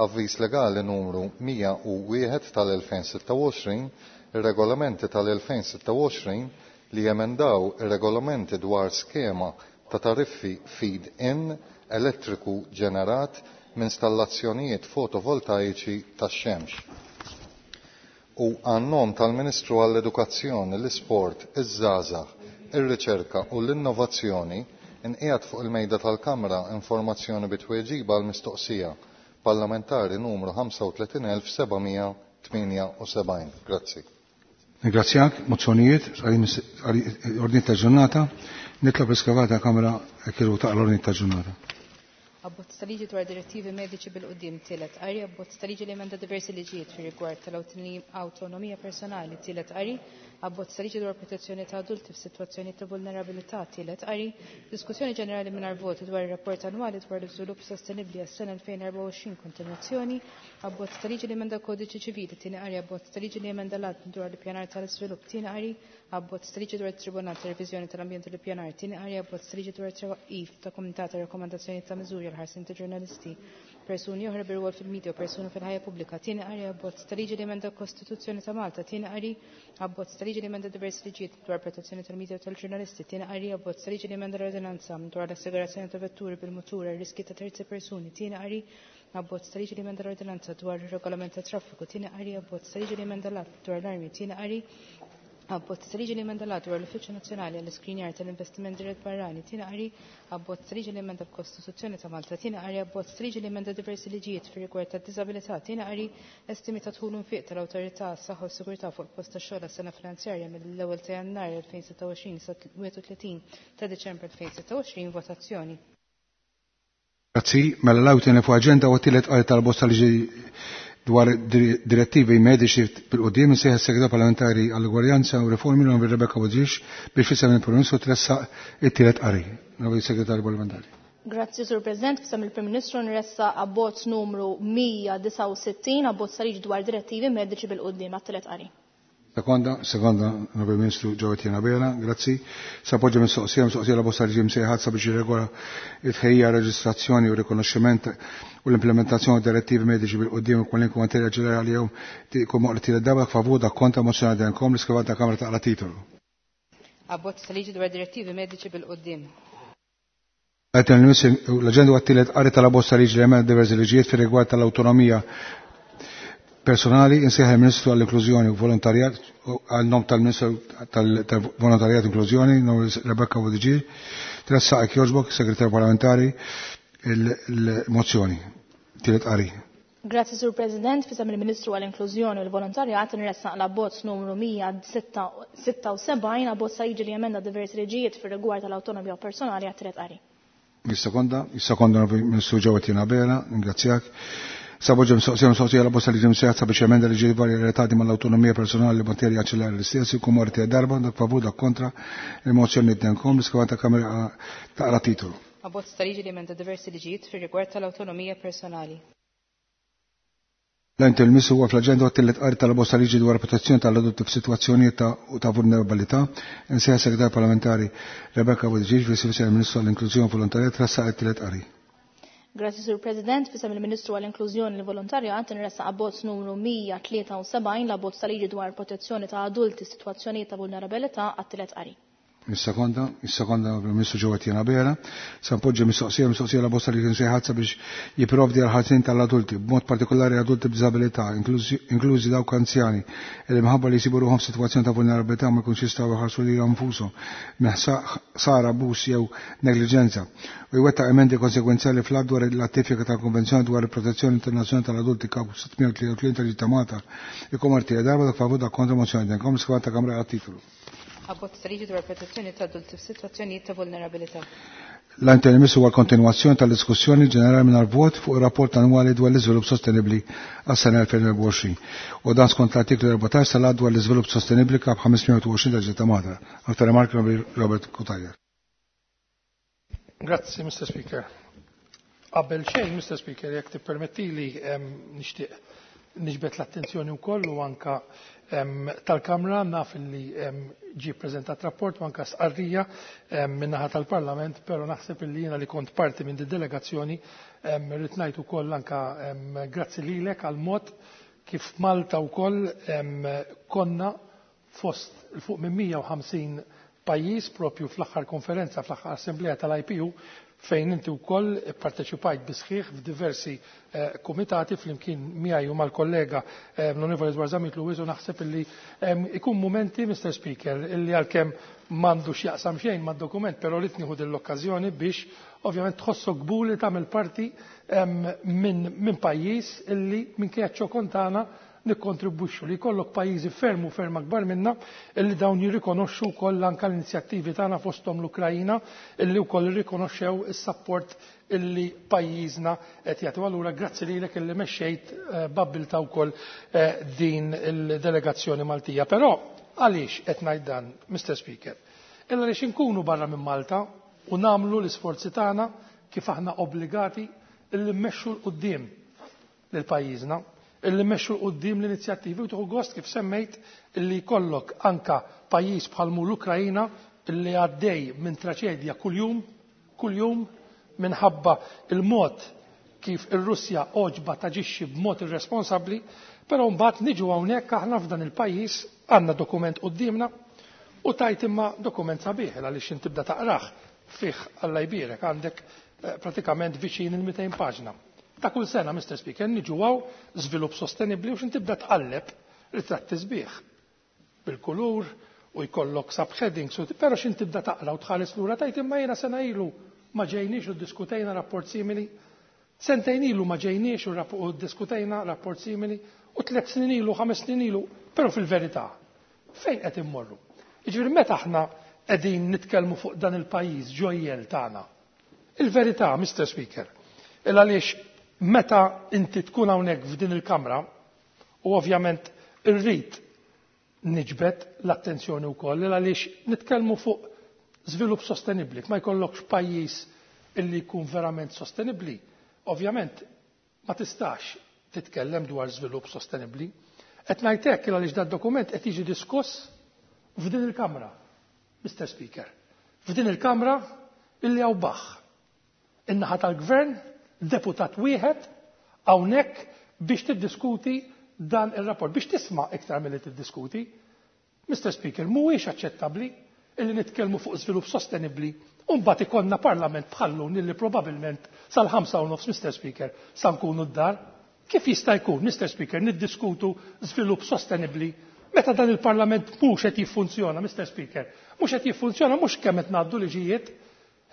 avviż legali numru mija u wieħed tal-elfejn sitta u għoxrin, ir-regolamenti tal-elfejn sitta u għoxrin li jemendaw ir-regolamenti dwar skema ta' tariffi feed-in elettriku ġenerat minn installazzjonijiet fotovoltaiċi tax-xemx. U għan-nom tal-Ministru għall-Edukazzjoni, l-Isport, iż-Żgħażagħ, ir-Riċerka u l-Innovazzjoni nqiegħed fuq il-mejda tal-Kamra informazzjoni bitweġiba għal mistoqsija parlamentari numru ħamsa u tletin elf sebgħamija tmienja u sebgħin. Grazzi. Ringrazzjak, mozzjonijiet, ordni ta' ġurnata, nitlob iskavata Kamra kienu ta' l-ordni ta' ġurnata. Abbozz ta' liġi dwar direttivi mediċi bil-qudiem tielet qari, abbozz ta' liġi li emenda diversi liġijiet fir rigward tal-awtonomija personali tielet qari, abbozz ta' liġi dwar protezzjoni ta' adulti f'sitwazzjoni ta' vulnerabilità tielet qari, diskussjoni ġenerali mingħajr voti dwar ir-rapport annwali dwar l-iżvilupp sostenibbli għas-sena elfejn erbgħa u għoxrin kontinwazzjoni, abbozz ta' liġi li emenda kodiċi ċivili tieni qari, abbozz ta' liġi li emenda l-att dwar l-ippjanar tal-iżvilupp tieni qari, abbozz ta' liġi dwar it-Tribunal ta' Reviżjoni tal-Ambjent u l-Ippjanar tieni qari, abbozz ta' liġi dwar it-twaqqif ta' Kumitat ta' Rakkomandazzjoni ta' Miżuri għal ħarsien ta' ġurnalisti, persuni oħra bir-rwol fil-medja u persuni fil-ħajja pubblika, tieni qari, abbozz ta' liġi li emenda l-Kostituzzjoni ta' Malta, tieni qari, abbozz ta' liġi li emenda diversi liġijiet dwar protezzjoni tal-medja u tal-ġurnalisti, tieni qari, abbozz ta' liġi li emenda l-ordinanza dwar l-assigurazzjoni ta' vetturi bil-mutur għal riski ta' terzi persuni, tieni qari, abbozz ta' liġi li emenda l-ordinanza dwar ir-regolament ta' traffiku, tieni qari, abbozz ta' liġi li emenda l-att dwar l-armi, tieni qari, abbozz ta' liġi li emenda l-att dwar l-Uffiċċju Nazzjonali għall-Iskrinjar tal-Investiment Dirett Barrani, tieni qari, abbozz ta' liġi li emenda l-Kostituzzjoni ta' Malta, tieni qari, abbozz ta' liġi li emenda diversi liġijiet fir-rigward tad-diżabilità, tieni qari, estimi ta' dħul u nfiq tal-Awtorità għas-Saħħa u s-Sigurtà fuq il-post tax-xogħol għas-sena finanzjarja mill-ewwel ta' Jannar elfejn sitta u għoxrin sa wieħed u tletin ta' Diċembru elfejn sitta u għoxrin, votazzjoni. Grazzi, mela l-għawtin fuq aġenda u t-tielet qari tal-bosta liġi dwar direttivi mediċi bil-qudiem insejħ is-Segretar Parlamentari għall-Ugwaljanza u Riformi l-Onorevoli Rebecca Buttigieg biex fisem il-Prim Ministru tressaq it-tielet qari. Onorevoli Segretarju Parlamentari. Grazzi, Sur President. Fisem il-Prim Ministru nressa abbozz numru mija disgħa u sittin, abbozz ta' liġi dwar direttivi mediċi bil-qudiem għat-tielet qari. Sekonda, sekonda, Onorevoli Ministru Joe Abela, grazzi. S'appoġġa mistoqsija, mistoqsija la bosta liġi msejħat sabiex jirregola it-tħejja, reġistrazzjoni u rikonoxximent u l-implementazzjoni direttivi mediċi bil-qudiem u kwalinkwe materja ġenerali jew tikum moqli tielet darba favur dak kontra mozzjoni denkom l-iskrivat ta' Kamra taqra titolu. Abbozz ta' liġi dwar direttivi mediċi bil-qudiem. L-aġenda għat-tielet qari tal-abbozz ta' liġi li emenda diversi liġijiet fir-rigward tal-awtonomija personali, insejħ il-Ministru għall-Inklużjoni u Volontarjat, għal-nom tal-Ministru tal-Volontarjat u Inklużjoni, nom Rebecca Buttigieg, tressaq jogħġbok, Segretarju Parlamentari, il-mozzjoni. Tielet qari. Grazzi, Sur President. Fisem il-Ministru għall-Inklużjoni u l-Volontarjat nressaq l-abbozz numru mija sitta u sebgħin, abbozz ta' liġi li emenda diversi liġijiet fir-rigward tal-awtonomija personali għat-tielet qari. Is-sekonda, is-sekonda Ministru Joe Abela, ringrazzjak. Saboġġa mistoqsija, mistoqsija la bosta liġi msejħa sabiex emenda liġi varji relatati mal-awtonomija personali li materja aċċelera l-istess, ikun morti darba, dak favur, dak kontra, il-mozzjoni d-denkom, l-iskavata kamera taqra titolu. Abbozz ta' liġi li emenda diversi liġijiet fir-rigward tal-awtonomija personali. L-ent il-missu huwa fl-aġenda għat-tielet qari tal-bosta liġi dwar protezzjoni tal-adulti f'sitwazzjonijiet ta' ta' vulnerabilità. Insejħa Segretarju Parlamentari Rebecca Buttigieg, Vice Ministru għall-Inklużjoni Volontarja, tressaq it-tielet qari. Grazzi Sur President, fisem il-Ministru għall-Inklużjoni l Volontarjat nressaq abbozz numru mija tlieta u sebgħin l-abbozz tal-liġi dwar protezzjoni ta' adulti f'sitwazzjonijiet ta' vulnerabilità għat-tielet qari. Is-sekonda, is-sekonda Ministru Joe Etienne Abela, sa npoġġi mistoqsija mistoqsija la bosta li kien sejħat sabiex jipprovdi għal ħarsien tal-adulti, b'mod partikolari adulti b'diżabilità, inklużi dawk anzjani, li minħabba li jsibu ruħhom f'sitwazzjoni ta' vulnerabilità ma jkunx jistgħu jħarsu lilhom infushom minn ħsara, abbuż jew negliġenza, u jwettaq emendi konsegwenzjali fl-att dwar l-attifika tal-Konvenzjoni dwar il-Protezzjoni Internazzjonali tal-Adulti Kap sitt mija tlieta u tletin tal-Ġid ta' Malta. Ikom artija darba dak favur dak kontra mozzjoni denkom l-iskema ta' Kamra għat-titolu. Abbozz ta' liġi dwar protezzjoni ta' adulti f'sitwazzjonijiet ta' vulnerabilità. L-intermiss huwa kontinwazzjoni tal-diskussjoni ġenerali mingħajr vot fuq ir-rapport annwali dwar l-iżvilupp sostenibbli għas-sena elfejn u erbgħa u għoxrin. U dan skont l-artiklu erbatax tal-Att dwar l-iżvilupp sostenibbli kap ħames mija u għoxrin tal-Ġid ta' Malta. Aktar rimarki Robert Cutajar. Grazzi, Mister Speaker. Qabel xejn, Mister Speaker, jekk tippermettili, ehm, nixtieq niġbed l-attenzjoni wkoll u anka, ehm, tal-Kamra, naf li, ehm, ġie ppreżentat rapport u anka stqarrija, ehm, min-naħa tal-Parlament, però naħseb illi jiena li kont parti minn din delegazzjoni, ehm, irrid ngħid ukoll anka, ehm, grazzi lilek għal mod kif Malta wkoll, ehm, konna fost il fuq minn mija u ħamsin pajjiż propju fl-aħħar konferenza, fl-aħħar assemblea tal-I P U, fejn inti wkoll parteċipajt bisħiħ f'diversi, eh, kumitati flimkien miegħi u mal-kollega, eh, l-Onorevoli Dwar Zammit Lewis, u naħseb illi, ehm, ikun mumenti, Mister Speaker, illi għalkemm m'għandu x'jaqsam xejn mad-dokument, però rrid nieħu din l-okkażjoni biex ovvjament tħossok kburi tagħmel parti, ehm, minn, minn pajjiż illi minkejja ċ-ċokon tagħna nikkontribwixxu li jkollok pajjiżi ferm u ferm akbar minna illi dawn jirrikonoxxu wkoll anke l-inizjattivi tagħna fosthom l-Ukrajina illi wkoll irrikonoxxew is-sapport illi pajjiżna qed jagħti. Allura grazzi lilek illi mexxejt, eh, b'abbiltà wkoll, eh, din il-delegazzjoni Maltija. Però għaliex qed ngħid dan, Mister Speaker? Illa għaliex inkunu barra minn Malta u nagħmlu l-isforzi tagħna kif aħna obbligati illi mmexxu l quddiem lil pajjiżna, illi mmexxu l quddiem l-inizjattivi u tieħu gost kif semmejt illi jkollok anka pajjiż bħal mu l-Ukrajina illi għaddej minn traċedja kuljum, kuljum minħabba il-mod kif ir-Russja oġba taġixxi b'mod irresponsabbli, però mbagħad niġu hawnhekk aħna f'dan il-pajjiż għandna dokument quddiemna u tajt imma dokument sabiħ għaliex inti tibda taqrah fih Alla jbierek għandek, eh, pratikament viċin il-mitejn paġna. Ta' kull sena, Mister Speaker, niġu hawn żvilupp sostenibbli u x'in tibda tqalleb ritratti sbieħ bil-kulur u jkollok subheadings, u però x'in tibda taqra u tħares lura tajt imma jiena sena ilu ma ġejniex u ddiskutejna rapport simili, sentejn ilu ma ġejniex u rapp-, u ddiskutejna rapport simili, u tliet snin ilu, ħames snin ilu, però fil-verità, fejn qed immorru? Jiġifieri meta aħna qegħdin nitkellmu fuq dan il-pajjiż ġojjel tagħna. Il-verità, Mister Speaker, il għaliex meta inti tkun hawnhekk f'din il-kamra, u ovvjament irrid niġbed l-attenzjoni wkoll il għaliex nitkellmu fuq żvilupp sostenibbli, ma jkollokx pajjiż illi jkun verament sostenibbli, ovvjament ma tistax titkellem dwar żvilupp sostenibbli. Qed ngħid hekk il għaliex dad-dokument qed jiġi diskuss f'din il-kamra, Mister Speaker. F'din il-kamra illi hawn baħ. In-naħa tal-gvern, deputat wieħed hawnhekk biex tiddiskuti dan ir-rapport, biex tisma' iktar milli tiddiskuti. Mister Speaker, mhuwiex aċċettabbli illi nitkellmu fuq żvilupp sostenibbli u mbagħad ikollna parlament bħallun illi probabbilment sal-ħamsa u nofs, Mister Speaker, sa nkunu d-dar. Kif jista' jkun, Mister Speaker, niddiskutu żvilupp sostenibbli meta dan il-parlament mhux qed jiffunzjona, Mister Speaker? Mhux qed jiffunzjona mhux kemm qed ngħaddu liġijiet,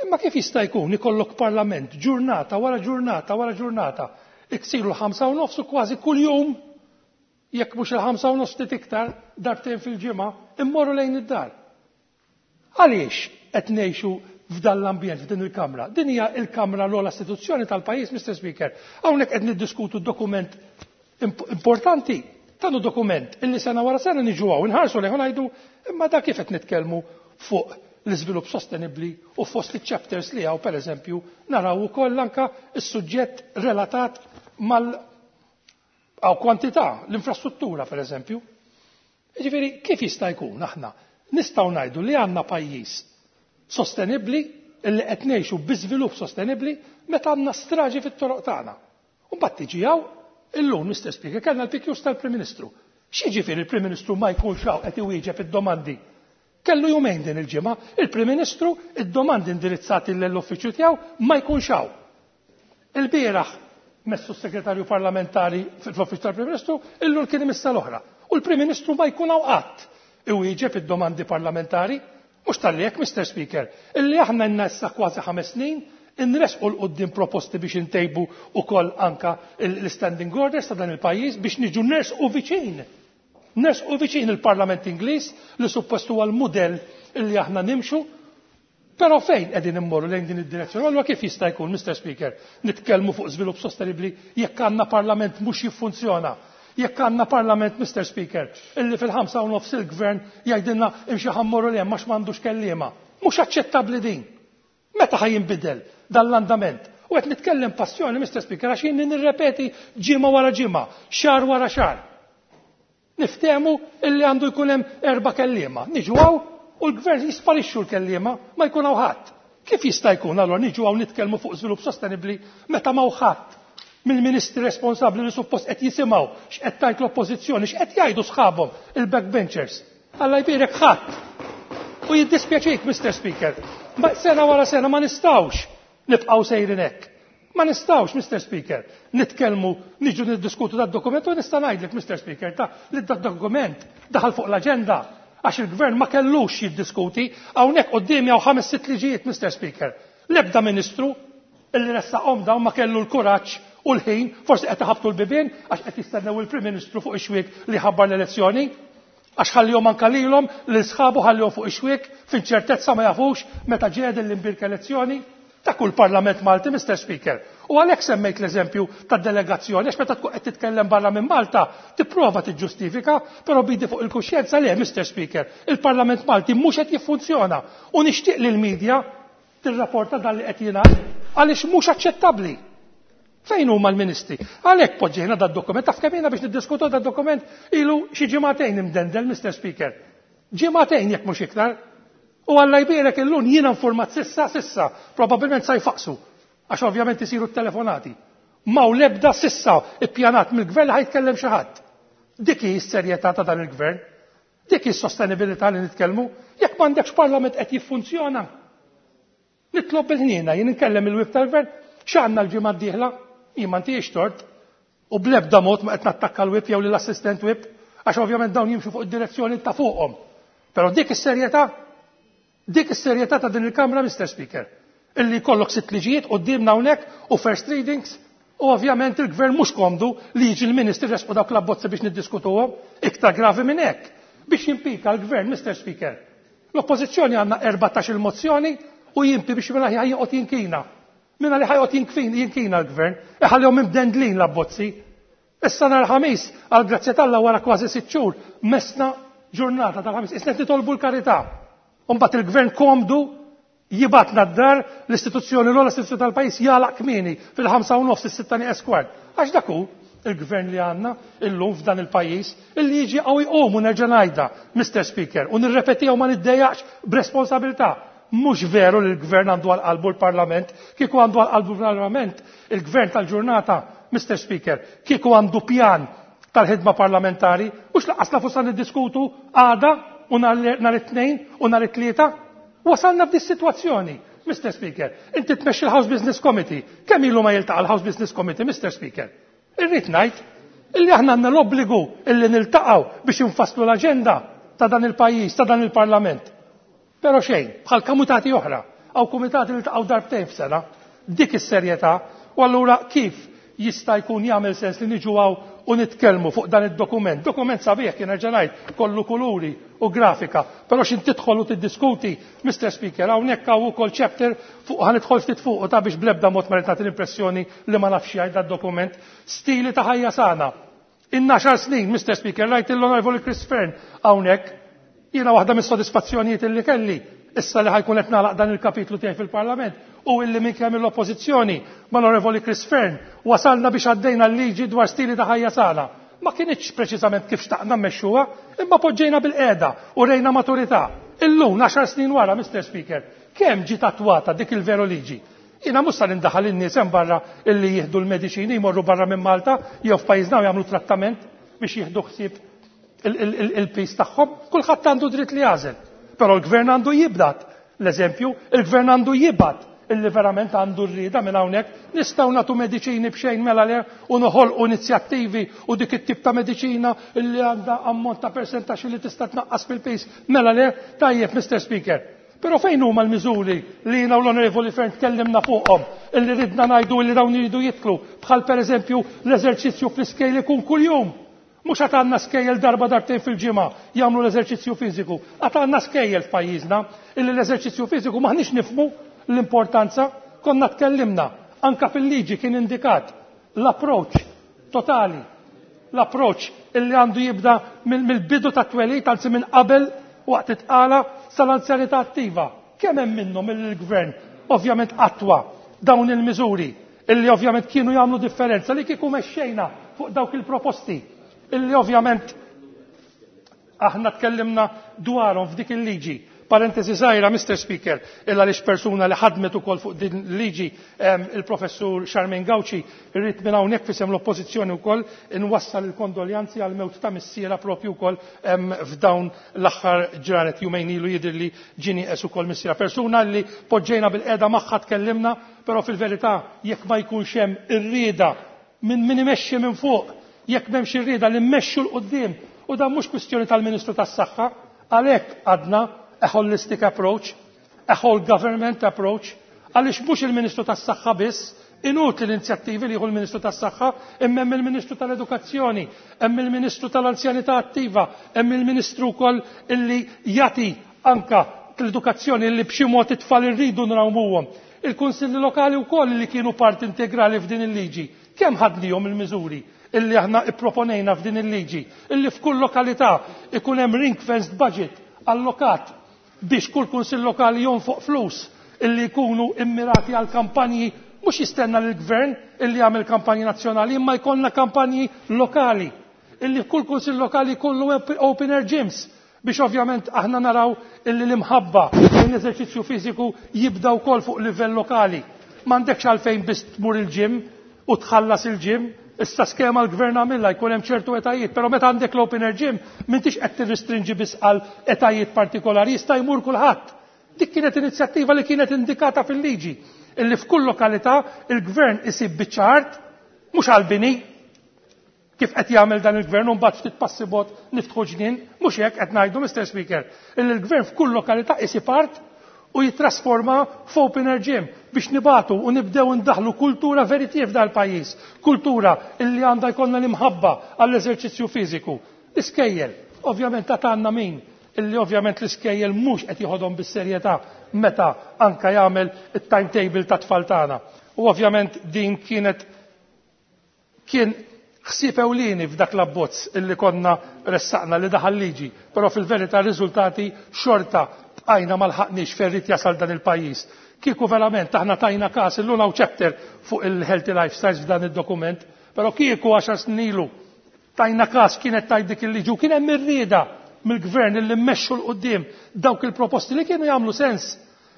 imma kif jista' jkun ikollok parlament ġurnata wara ġurnata wara ġurnata, iksiru l-ħamsa u nofs u kważi kuljum, jekk mhux il-ħamsa u nofs ftit iktar darbtejn fil-ġimgħa, immorru lejn id-dar. Għaliex qed ngħixu f'dan l-ambjent, f'din il-Kamra? Din hija l-Kamra l-ogħla istituzzjoni tal-pajjiż, Mister Speaker. Hawnhekk qed niddiskutu dokument imp-, importanti, tanu dokument illi sena wara sena niġu hawn inħarsu lejh u ngħidu imma da kif qed nitkellmu fuq l-iżvilupp sostenibbli u fost iċ-chapters li hawn pereżempju naraw ukoll anka s-suġġett relatat mal għaw kwantità, l-infrastruttura pereżempju. Jiġifieri kif jista' jkun aħna nistgħu ngħidu li għandna pajjiż sostenibbli illi qed ngħixu bi żvilupp sostenibbli meta għandna straġi fit-toroq tagħna. U mbagħad tiġi hawn illum, Mister Speaker, kellna l-P Qs tal-Prim Ministru. X'jiġifieri il-Prim Ministru ma jkunx hawn qed iwieġeb id-domandi? Kellu jumejn din il-ġimgħa, il-Prim Ministru id-domandi indirizzati l-uffiċċju tiegħu ma jkunx hawn. Il-bieraħ messu s-segretarju parlamentari fl-uffiċċju tal-Prim Ministru, illum kien imissa l-oħra. U l-Prim Ministru ma jkun hawn qatt iwieġeb id-domandi parlamentari. Mhux talli hekk, Mister Speaker, illi aħna issa kważi ħames snin inresqu 'l quddiem proposti biex intejbu ukoll anka l-standing orders ta' dan il-pajjiż biex niġu nersqu viċin. Nersqu viċin il-Parlament Ingliż li suppost huwa l-mudell illi aħna nimxu. Però fejn qegħdin immorru lejn din id-direzzjoni? Allura kif jista' jkun, Mister Speaker, nitkellmu fuq żvilupp sostenibbli jekk għandna parlament mhux jiffunzjona? Jekk għandna parlament, Mister Speaker, illi fil-ħamsa u nofs il-gvern jgħidilna imxi ħa mmorru li hemm għax m'għandux kelliema. Mhux aċċettabbli din. Meta ħa jinbidel dan l-andament? U qed nitkellem passjoni, Mister Speaker, għax jien nirrepeti ġimgħa wara ġimgħa, xahar wara xahar. Niftehmu illi għandu jkun hemm erba' kelliema. Niġu hawn u l-gvern jisparixxu l-kelliema, ma jkun hawn ħadd. Kif jista' jkun allura niġu hawn nitkellmu fuq żvilupp sostenibbli meta m'hawn ħadd mill-ministri responsabbli li suppost qed jisimgħu x'qed tgħid l-oppożizzjoni, x'qed jgħidu sħabhom il-backbenchers? Alla jbierek, ħadd. U jiddispjaċik, Mister Speaker, ma sena wara sena ma nistgħux nibqgħu sejrin hekk. Ma nistgħux, Mister Speaker, nitkellmu, niġu niddiskutu dat dokument u nista' ngħidlek, Mister Speaker, ta' li dat dokument daħal fuq l-aġenda għax il-gvern ma kellux jiddiskuti. Hawnhekk qudiemi hawn ħames sitt liġijiet, Mister Speaker. L-ebda ministru illi ressaqhom dawn ma kellu l-kuraġġ u l-ħin, forsi qed iħabtu l-bibien għax qed jistennew il-Prim Ministru fuq ix-xwiek li ħabbar l-elezzjoni. Għax ħallihom anka lilhom lil sħabu ħallihom fuq ix-xwiek f'inċertezza, ma jafux meta ġiet l-imbierka elezzjoni ta' kull Parlament Malti, Mister Speaker. U għalhekk semmejt l-eżempju ta' delegazzjoni, għax meta tkun qed titkellem barra minn Malta, tipprova tiġġustifika, però b'idi fuq il-kuxjenza le, Mister Speaker, il-Parlament Malti mhux qed jiffunzjona. U nixtieq li l-medja tirrapporta dan li qed jingħad għaliex mhux aċċettabbli. Fejn huma l-ministri? Għalhekk poġġejna dad dokument, taf kemm biex niddiskutu dad dokument ilu xi ġimagħtejn imdendel, Mister Speaker. Ġimagħtejn jekk mhux iktar. U Alla jbierek illum jiena informat sissa, sissa, probabbilment sa jfaqsu, għax ovvjament isiru t-telefonati. Ma u lebda sissa ippjanat mill-gvern ħa jitkellem xi ħadd. Dik hi s-serjetà ta' dan il-gvern. Dik hi s-sostenibilità li nitkellmu. Jekk m'għandekx parlament qed jiffunzjona. Nitlob bil-ħniena, jien inkellem il-whip tal-gvern, x'għandna l-ġimgħa d-dieħla? Jien ma ntihiex tort. U bl-ebda mod ma qed nattakka l-whip jew lill-assistant whip, għax ovvjament dawn jimxu fuq id-direzzjoni ta' fuqhom. Però dik is-serjetà, dik is-serjetà ta' din il-Kamra, Mister Speaker, illi jkollok sitt liġijiet qudiemna hawnhekk u first readings, u ovvjament il-gvern mhux komdu li jiġi l-ministri resqu dawk l-abbozzi biex niddiskutuhom, iktar gravi minn hekk. Biex jimpika l-gvern, Mister Speaker. L-oppożizzjoni għandna erbatax il-mozzjoni u jimpi biex mela ħajjoqgħod jinkina. Minna li ħajqgħod jinkina l-gvern, iħallihom imdendlin l-abbozzi. Issa nhar Ħamis, għal grazzja t'Alla wara kważi sitt xhur, mesna ġurnata tal-Ħamis, issa qed nitolbu l-karità. Mbagħad il-gvern komdu jibgħatna d-dar, l-istituzzjoni l istituzzjoni tal-pajjiż jagħlaq kmieni fil-ħamsa u nofs, is-sitta nieqes kwart. Għax dak hu il-gvern li għandna illum f'dan il-pajjiż illi jiġi għaw jqum u nerġa' ngħidha, Mister Speaker, u nirrepetiha u ma niddejjaqx b'responsabilità. Mhux veru li l-gvern għandu għal qalbu l-Parlament, kieku għandu għal qalbu l-Parlament, il-gvern tal-ġurnata, Mister Speaker, kieku għandu pjan tal-ħidma parlamentari, mhux lanqas nafu sa niddiskutu għada u nhar it-Tnejn u nhar it-Tlieta. Wasalna f'dis sitwazzjoni, Mister Speaker. Inti tmexxi l-House Business Committee. Kemm ilu ma jiltaqa' l-House Business Committee, Mister Speaker? Irrid ngħid illi aħna għandna l-obbligu illi niltaqgħu biex infasslu l-aġenda ta' dan il-pajjiż, ta' dan il-Parlament. Però xejn, bħal komitati oħra, għaw komitati li ltaqgħu darbtejn f'sena, dik is-serjetà, u allura kif jista' jkun jagħmel sens li niġu hawn u nitkellmu fuq dan id-dokument? Dokument sabiħ kien nerġa' ngħid, kollu kuluri u grafika, però x'in tidħol u tiddiskuti, Mister Speaker, hawnhekk hawn ukoll chapter fuq ħa nidħol ftit fuq u ta' biex bl-ebda mod ma nagħti l-impressjoni li ma nafx jgħid dad-dokument. Stili ta' ħajja sana. In għaxar snin, Mister Speaker, rajt l-Onorevoli Chris Fearne hawnhekk, jiena waħda mis-sodisfazzjonijiet illi kelli issa li ħa jkun qed nagħlaq dan il-kapitlu tiegħi fil-Parlament u illi minn kemm l-Oppożizzjoni mal-Onorevoli Chris Fearne wasalna biex għaddejna l-liġi dwar stili ta' ħajja sana. Ma kinitx preċiżament kif xtaqna mmexxuha, imma poġġejna bil-qiegħda u rejna maturità. Illum, għaxar snin wara, Mister Speaker, kemm ġiet attwata dik il-veru liġi? Jiena mhux sar indaħal in-nies hemm barra illi jieħdu l-mediċini jmorru barra minn Malta jew f'pajjiżna u jagħmlu trattament biex jieħdu ħsieb il-pis tagħhom. Kulħadd għandu dritt li jagħżel. Però l-gvern għandu jibdat l-eżempju, il-gvern għandu jibgħat illi verament għandu rrieda minn hawnhekk nistgħu nagħtu mediċini b'xejn mela le u noħolqu inizjattivi u dik it-tip ta' mediċina illi għandha ammont ta' persentaġġ li tista' tnaqqas fil-pis mela le tajjeb Mister Speaker. Però fejn huma l-miżuri li jiena u l-Onorevoli Fearne tkellimna fuqhom illi ridna ngħidu illi dawn iridu jidħlu bħal pereżempju l-eżerċizzju fl-iskejl ikun kuljum. Mhux għad għandna skejjel darba darbtejn fil-ġimgħa jagħmlu l-eżerċizzju fiżiku. Għad għandna skejjel f'pajjiżna illi l-eżerċizzju fiżiku m'aħniex nifhmu l-importanza. Konna tkellimna, anka fil-liġi kien indikat l-approach totali, l-approach illi għandu jibda mill-bidu ta' twelid, anzi minn qabel waqt it-tqala sal-anzjanità attiva. Kemm hemm minnhom il-gvern ovvjament attwa dawn il-miżuri illi ovvjament kienu jagħmlu differenza li kieku mexxejna fuq dawk il-proposti illi ovvjament aħna tkellimna dwarhom f'dik il-liġi. Parentesi żgħira, Mister Speaker, illa għaliex persuna li ħadmet ukoll fuq din il-liġi, il-professur Charmaine Gauci, irrid minn hawnhekk fisem l-oppożizzjoni wkoll inwassal il-kondoljanzi għal mewt ta' missiera propju wkoll f'dawn l-aħħar ġranet jumejn ilu jidher li ġie nieqes ukoll missiera. Persuna li poġġejna bil-qiegħda magħha tkellimna, però fil-verità jekk ma jkunx hemm ir-rieda minn min imexxi minn fuq, jekk m'hemmx ir-rieda li mmexxu l quddiem, u dan mhux kwistjoni tal-Ministru tas-Saħħa, għalhekk għadna a holistic approach, a whole government approach, għaliex mhux il-Ministru tas-Saħħa biss, inutli l-inizjattivi li jieħu l-Ministru tas-Saħħa, imma hemm il-Ministru tal-Edukazzjoni, hemm il-Ministru tal-Anzjanità Attiva, hemm il-Ministru wkoll illi jagħti anka l-edukazzjoni illi b'xi mod it-tfal irridu nrawmuhom. Il-Kunsilli Lokali wkoll li kienu parti integrali f'din il-liġi. Kemm ħadnihom il-miżuri illi aħna ipproponejna f'din il-liġi, illi f'kull lokalità ikun hemm ring-fenced budget allokat biex kull kunsill lokali jonfoq flus illi jkunu immirati għal kampanji, mhux jistenna lill-gvern illi jagħmel kampanji nazzjonali, imma jkollna kampanji lokali illi kull kunsill lokali jkollu open air gyms biex ovvjament aħna naraw illi l-imħabba lejn l-eżerċizzju fiżiku jibda wkoll fuq livell lokali. M'għandekx għalfejn biss tmur il-gym u tħallas il-gym, issa skema l-gvern għamilha jkun hemm ċertu etajiet, però meta għandek l-open air gym m'intix qed tirrestrinġi biss għal etajiet partikolari, jista' jmur kulħadd. Dik kienet inizjattiva li kienet indikata fil-liġi, illi f'kull lokalità il-gvern isib biċċa art, mhux għall-bini, kif qed jagħmel dan il-gvern u mbagħad ftit passi bot niftħu ġnien, mhux hekk qed ngħidu, Mister Speaker, illi l-gvern f'kull lokalità isib art u jitrasforma f'open air gym biex nibatu u nibdew ndaħlu kultura veritier f'dal pajjiż, kultura illi għandha jkollna l-imħabba għall-eżerċizzju fiżiku. L-iskejjel, ovvjament ta' għandna min illi ovvjament l-iskejjel mhux qed jieħodhom bis-serjetà meta anka jagħmel it-timetable ta' tfal tagħna. U ovvjament din kienet kien ħsieb ewlieni f'dak l-abbozz illi konna ressaqna li daħal liġi, però fil-verità r-riżultati xorta bqajna ma lħaqniex fejn irid jasal dan il-pajjiż. Kieku verament aħna tajna każ illum hawn chapter fuq il-healthy lifestyles f'dan id-dokument, però kieku għaxar snin ilu tajna każ kienet tajt dik il-liġi u kien hemm ir-rieda mill-gvern illi mmexxu l quddiem dawk il-proposti li kienu jagħmlu sens,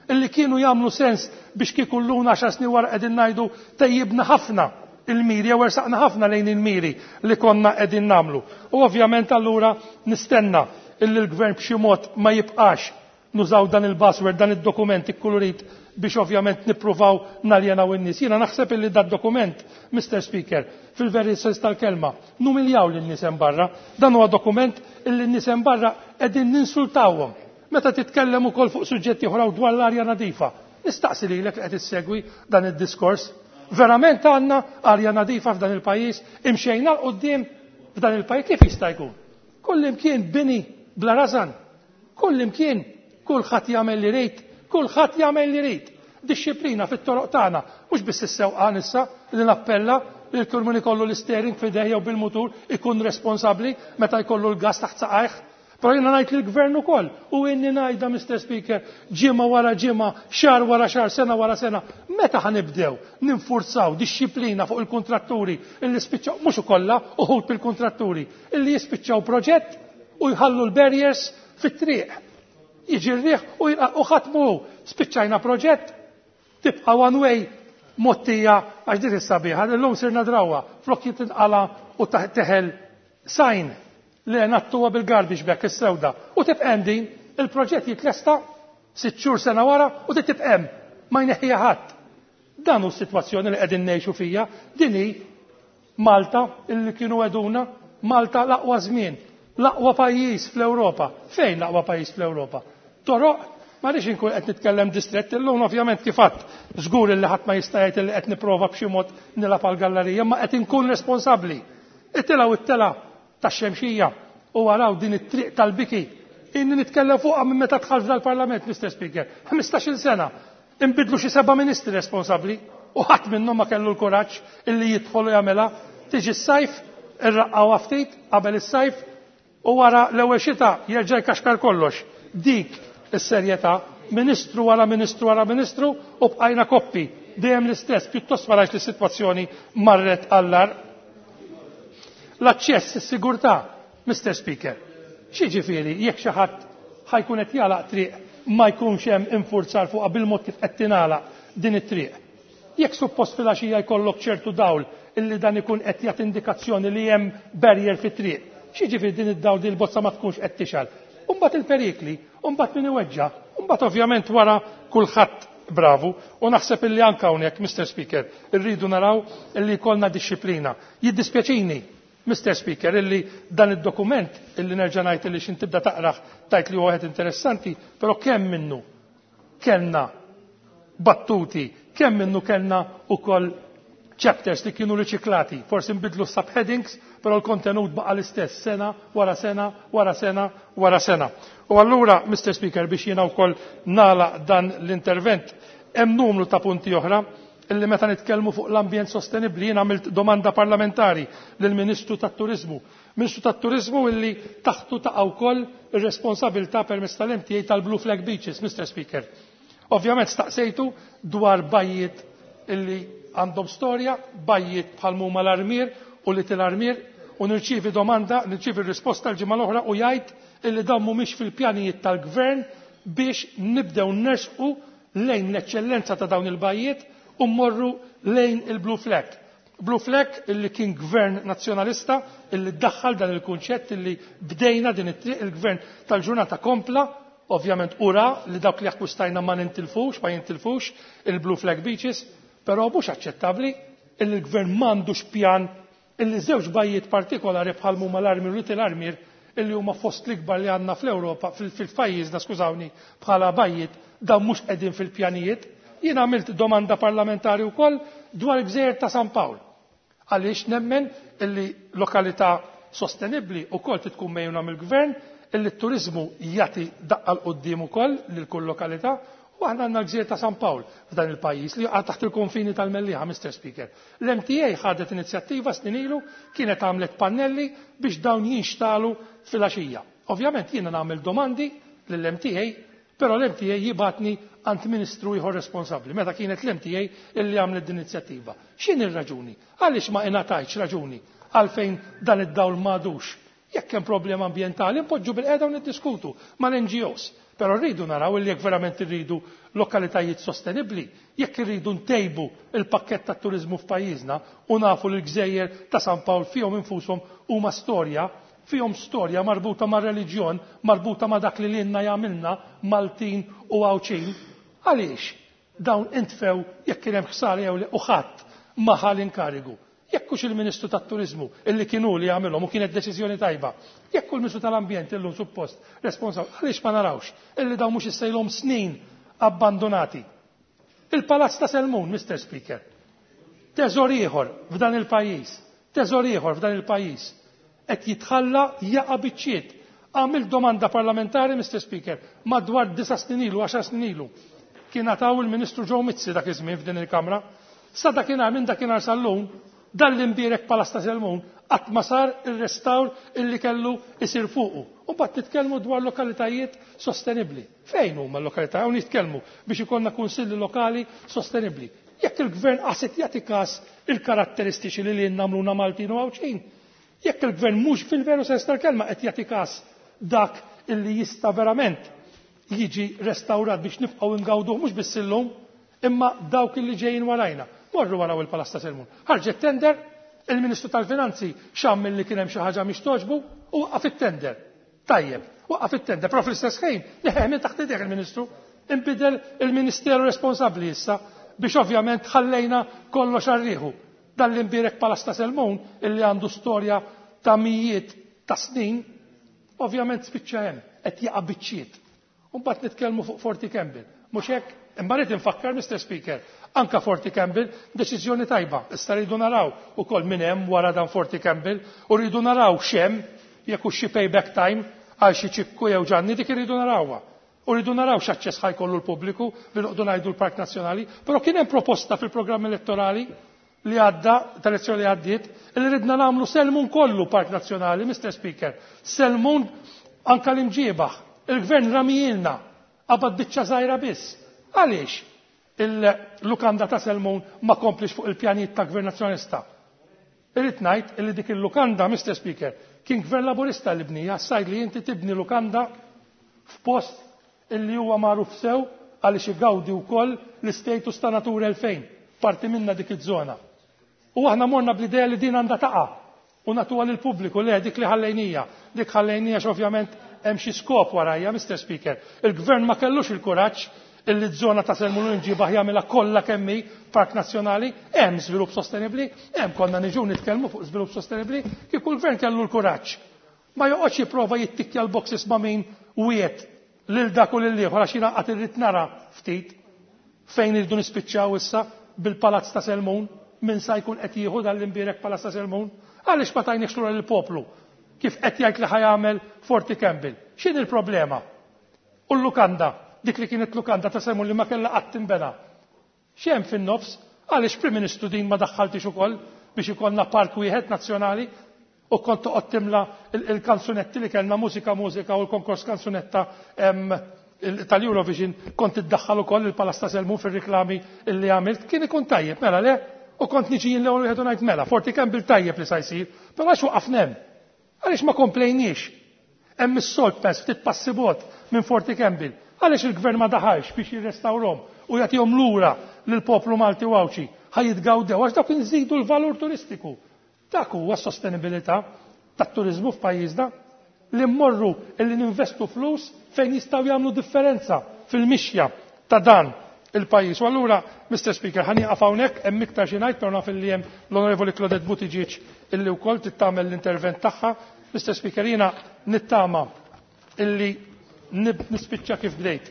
illi kienu jagħmlu sens biex kieku llum għaxar snin wara qegħdin ngħidu tejjibna ħafna il-miri jew ersaqna ħafna lejn il-miri li konna qegħdin nagħmlu. U ovvjament allura nistenna illi l-gvern b'xi mod ma jibqax nużaw dan il-buzzword, dan id-dokument ikkulurit biex ovvjament nippruvaw naljenaw in-nies. Jiena naħseb illi dat dokument, Mister Speaker, fil-veri sens tal-kelma, numiljaw lin-nies hemm barra. Dan huwa dokument illi n-nies hemm barra qegħdin ninsultawhom. Meta titkellem ukoll fuq suġġetti oħra dwar l-arja nadifa, nistaqsi lilek li qed issegwi dan id-diskors. Verament għandna arja nadifa f'dan il-pajjiż, imxejna l quddiem f'dan il-pajjiż, kif jista' jkun? Kull imkien bini bla rażan, kull imkien kulħadd jagħmel li jrid, kulħadd jagħmel li jrid. Disċiplina fit-toroq tagħna, mhux biss is-sewqan issa li nappella li kull min ikollu l-steering f'idejh jew bil-mutur ikun responsabbli meta jkollu l-gas taħt saqajh. Però jiena ngħid lill-gvern ukoll, u inni ngħidha, Mister Speaker, ġimgħa wara ġimgħa, xahar wara xahar, sena wara sena, meta ħanibdew ninfurzaw disċiplina fuq il-kontratturi illi spiċċaw, mhux ukollha, uħud bil-kontratturi, illi jispiċċaw proġett u jħallu l-barriers fit-triq. Jiġi r-riħ u ħadd mhu. Spiċċajna proġett, tibqa' one way mottija għax din is-sabiħa, illum sirna drawwa, flok jitinqala u teħel sajn li nattuha bil-garbage bag is-sewda u tibqa' hemm din, il-proġett jitlesta sitt xhur sena wara u tibqa' hemm, ma jneħħiha ħadd. Dan hu s-sitwazzjoni li qegħdin ngħixu fija, din hi Malta illi kienu għeduna, Malta l-aqwa żmien, l-aqwa pajjiż fl-Ewropa. Fejn l-aqwa pajjiż fl-Ewropa? Toroq, ma rridx inkun qed nitkellem distrett illum ovvjament kif għadt, żgur illi ħadd ma jista' jgħid illi qed nipprova b'xi mod nilgħab għall-gallerija, imma qed inkun responsabbli. Itilgħu it-tela tax-Xemxija u waraw din it-triq tal-biki. Inni nitkellem fuqha minn meta dħalt f'dal-Parlament, Mister Speaker, ħmistax-il sena. Inbidlu xi seba' ministri responsabbli u ħadd minnhom ma kellu l-kuraġġ illi jidħol u jagħmilha. Tiġi s-sajf, irraqqawha ftit qabel is-sajf u wara l-ewwel xita jerġa' jkaxkar kollox. Dik is-serjetà, ministru wara ministru wara ministru u bqajna koppi, dejjem l-istess, pjuttost ma rajtx li s-sitwazzjoni marret għall-agħar. L-aċċess, is-sigurtà, Mister Speaker, x'jiġifieri jekk xi ħadd ħajkun qed jagħlaq triq ma jkunx hemm infurzar fuqha bil-mod kif qed tingħalaq din it-triq. Jekk suppost filgħaxija jkollok ċertu dawl illi dan ikun qed jagħti indikazzjoni li hemm barrier fit-triq, x'jiġifieri din id-dawl din il-bozza ma tkunx qed tixgħal. U mbagħad il-perikli, u mbagħad min iweġġa', u mbagħad ovvjament wara kulħadd bravu. U naħseb illi anke hawnhekk, Mister Speaker, irridu naraw illi jkollna dixxiplina. Jiddispjaċini, Mister Speaker, illi dan id-dokument illi nerġa' ngħid illi x'in tibda taqrah tajt li huwa wieħed interessanti, però kemm minnu kellna battuti, kemm minnu kellna ukoll chapters li kienu riċiklati, forsi nbidlu subheadings, però l-kontenut baqa' l-istess sena wara sena wara sena wara sena. U allura, Mister Speaker, biex jiena wkoll nagħlaq dan l-intervent, hemm numru ta' punti oħra illi meta nitkellmu fuq l-ambjent sostenibbli jien għamilt domanda parlamentari lill-Ministru tat-Turiżmu. Ministru tat-Turiżmu illi taħtu taqa' wkoll ir-responsabilità permezz tal-M T A tal-Blue Flag Beaches, Mister Speaker. Ovvjament staqsejtu dwar bajjiet illi għandhom storja, bajjiet bħal huma l-Armier u li til-Armier, u nirċievi domanda, nirċievi risposta l-ġimgħa l-oħra u jgħid illi dawn mhumiex fil-pjanijiet tal-gvern biex nibdew nersqu lejn l-eċċellenza ta' dawn il-bajjiet u mmorru lejn il-Blue Flag. Blue Flag illi kien gvern nazzjonalista illi ddaħħal dan il-kunċett illi bdejna din it-triq, il-gvern tal-ġurnata kompla, ovvjament ura li dawk li akkwistajna ma nintilfux, ma jintilfux il-Blue Flag Beaches, però mhux aċċettabbli illi l-gvern m'għandux pjan illi żewġ bajjiet partikolari bħal huma l-Armier u Little Armier illi huma fost l-ikbar li għandna fl-Ewropa, fil-, fil-pajjiżna, skużawni, bħala bajjiet, dawn mhux qegħdin fil-pjanijiet. Jien għamilt domanda parlamentari wkoll dwar il-Gżejjer ta' San Pawl. Għaliex nemmen illi lokalità sostenibbli wkoll trid tkun mejjuna mill-gvern, illi t-turiżmu jagħti daqqa l quddiem ukoll lil kull lokalità, u aħna għandna l-Gżejjer ta' San Pawl f'dan il-pajjiż li jaqa' taħt il-konfini tal-Mellieħa, Mister Speaker. L-M T A ħadet inizjattiva snin ilu, kienet għamlet pannelli biex dawn jinxtalu fil-għaxija. Ovvjament jiena nagħmel domandi lill-M T A, però l-M T A jibatni għand ministru ieħor responsabbli, meta kienet l-M T A illi għamlet din l-inizjattiva. X'inhi r-raġuni? Għaliex ma ingħatajtx raġuni għalfejn dan id-dawl m'għadux? Jekk hemm problema ambjentali, npoġġu bil-qiegħda u niddiskutu mal-N G Os. Però rridu naraw illi jekk verament irridu lokalitajiet sostenibbli, jekk irridu ntejbu il-pakkett tat-turiżmu f'pajjiżna u nafu li l-Gżejjer ta' San Pawl fihom infushom huma storja, fihom storja marbuta ma' reliġjon, marbuta ma' dak li lilna jagħmilna Maltin u Għawdxin. Għaliex dawn intfew jekk kien hemm ħsara jew le u ħadd ma ħa l-inkarigu? Jekk hux il-Ministru tat-Turiżmu illi kien hu li jagħmilhom u kienet deċiżjoni tajba, jekk hu l-Ministru tal-Ambjent illum suppost responsabbli, għaliex ma narawx illi dawn mhux issejlhom snin abbandonati? Il-Palazz ta' Selmun, Mister Speaker, teżor ieħor f'dan il-pajjiż, teżor ieħor f'dan il-pajjiż, qed jitħalla jaqa' biċċiet. Għamil domanda parlamentari, Mister Speaker, madwar disa' snin ilu, għaxar snin ilu. Kien għataw il-Ministru Joe Mizzi dak iż-żmien f'din il-Kamra. Sa dakinhar, minn dakinhar sal-lum, dan l-imbierek Palazz ta' Selmun qatt ma sar ir-restawr illi kellu isir fuqu. U mbagħad nitkellmu dwar lokalitajiet sostenibbli. Fejn huma l-lokalitajiet? Hawn nitkellmu biex ikollna kunsilli lokali sostenibbli. Jekk il-gvern qaset jagħti każ il-karatteristiċi li lilna nagħmluna Maltin u Għawdxin, jekk il-gvern mhux fil-veru sens tal-kelma qed jagħti każ dak illi jista' verament jiġi restawrat biex nibqgħu ngawduh mhux biss illum imma dawk li ġejjin warajna. Morru waraw il-Palazz ta' Selmun. Ħarġet tender, il-Ministru tal-Finanzi xamm li kien hemm xi ħaġa mhix togħġbu u waqqaf it-tender. Tajjeb, waqqaf it-tender, però fl-istess ħin neħħeh minn taħt idejh il-Ministru, inbidel il-Ministeru responsabbli issa biex ovvjament ħallejna kollox għar-riħu. Dan l-imbierek Palazz ta' Selmun illi għandu storja ta' mijiet ta' snin, ovvjament spiċċa hemm, qed jaqa' biċċiet. U mbagħad nitkellmu fuq Forti Campbell. Mhux hekk? Imma rrid infakkar, Mister Speaker, anka Forti Campbell deċiżjoni tajba. Issa rridu naraw ukoll min hemm wara dan Forti Campbell u rridu naraw x'hemm jekk hux xi payback time għal xi Ċikku jew Ġanni, dik irridu narawha. U rridu naraw x'aċċess ħa jkollu l-pubbliku li noqogħdu ngħidu l-Park Nazzjonali, però kien hemm proposta fil-programm elettorali li għadda, tal-elezzjoni li għaddiet, li ridna nagħmlu Selmun kollu Park Nazzjonali, Mister Speaker. Selmun anka l-Imġiebaħ. Il-gvern ramijilna, qabad biċċa żgħira biss. Għaliex il-lukanda ta' Selmun ma komplix fuq il-pjanijiet ta' Gvern Nazzjonalista? Irrid ngħid illi dik il-lukanda, Mister Speaker, kien Gvern Laburista li bnija, sajd li inti tibni lukanda f'post illi huwa magħruf sew għaliex igawdi wkoll l-istatus ta' Natura elfejn, parti minna dik iż-żona. U aħna morna bl-idea li din għandha taqa' u nagħtuha lill-pubbliku, le dik li ħallejnija. Dik ħallejnija x'ovvjament hemm xi skop warajja, Mister Speaker. Il-gvern ma kellux il-kuraġġ illi ż-żona ta' Selmun Imġiebaħ jagħmilha kollha kemm hi Park Nazzjonali, hemm żvilupp sostenibbli, hemm konna niġu nitkellmu fuq żvilupp sostenibbli, kieku l-gvern kellu l-kuraġġ. Ma joqgħodx jipprova jittikkja l-boxes ma' min wiet lil dak u lil ieħor għax jiena qatt irrid nara ftit fejn irridu nispiċċaw issa bil-Palazz ta' Selmun, min sa jkun qed jieħu dan l-imbierek Palazz ta' Selmun. Għaliex ma tajniex lura lill-poplu kif qed jgħid li ħa jagħmel Forti Campbell? X'inhi l-problema? U l-lukanda, dik li kienet lukanda ta' Selmun li ma kellha qatt tinbena. X'hemm fin-nofs? Għaliex Prim Ministru din ma daħħaltix ukoll biex ikollna park wieħed nazzjonali u kont toqgħod timla il-kanzunetti li kellna mużika mużika u l-konkors kanzunetta tal-Eurovision kont iddaħħal ukoll il-Palazz ta' Selmun fir-riklami illi għamilt, kien ikun tajjeb, mela le? U kont niġi jien l-ewwel wieħed u ngħid mela, Forti Campbell tajjeb li sa jsir, però għax waqafna hemm? Għaliex ma komplejniex? Hemm is-Salt Pass ftit passi bogħod minn Forti Campbell. Għaliex il-gvern ma daħalx biex jirrestawrhom u jagħtihom lura lill-poplu Malti u Għawdxi ħa jitgawdew għax dawk inżidu l-valur turistiku. Dak huwa s-sostenibilità tat-turiżmu f'pajjiżna li mmorru illi ninvestu flus fejn jistgħu jagħmlu differenza fil-mixja ta' dan il-pajjiż. U allura, Mister Speaker, ħa nieqaf hawnhekk, hemm iktar xi ngħid, però naf illi hemm l-Onorevoli Claudette Buttigieg illi wkoll tittamel l-intervent tagħha. Mister Speaker, jiena nittama illi nispiċċa kif bdejt.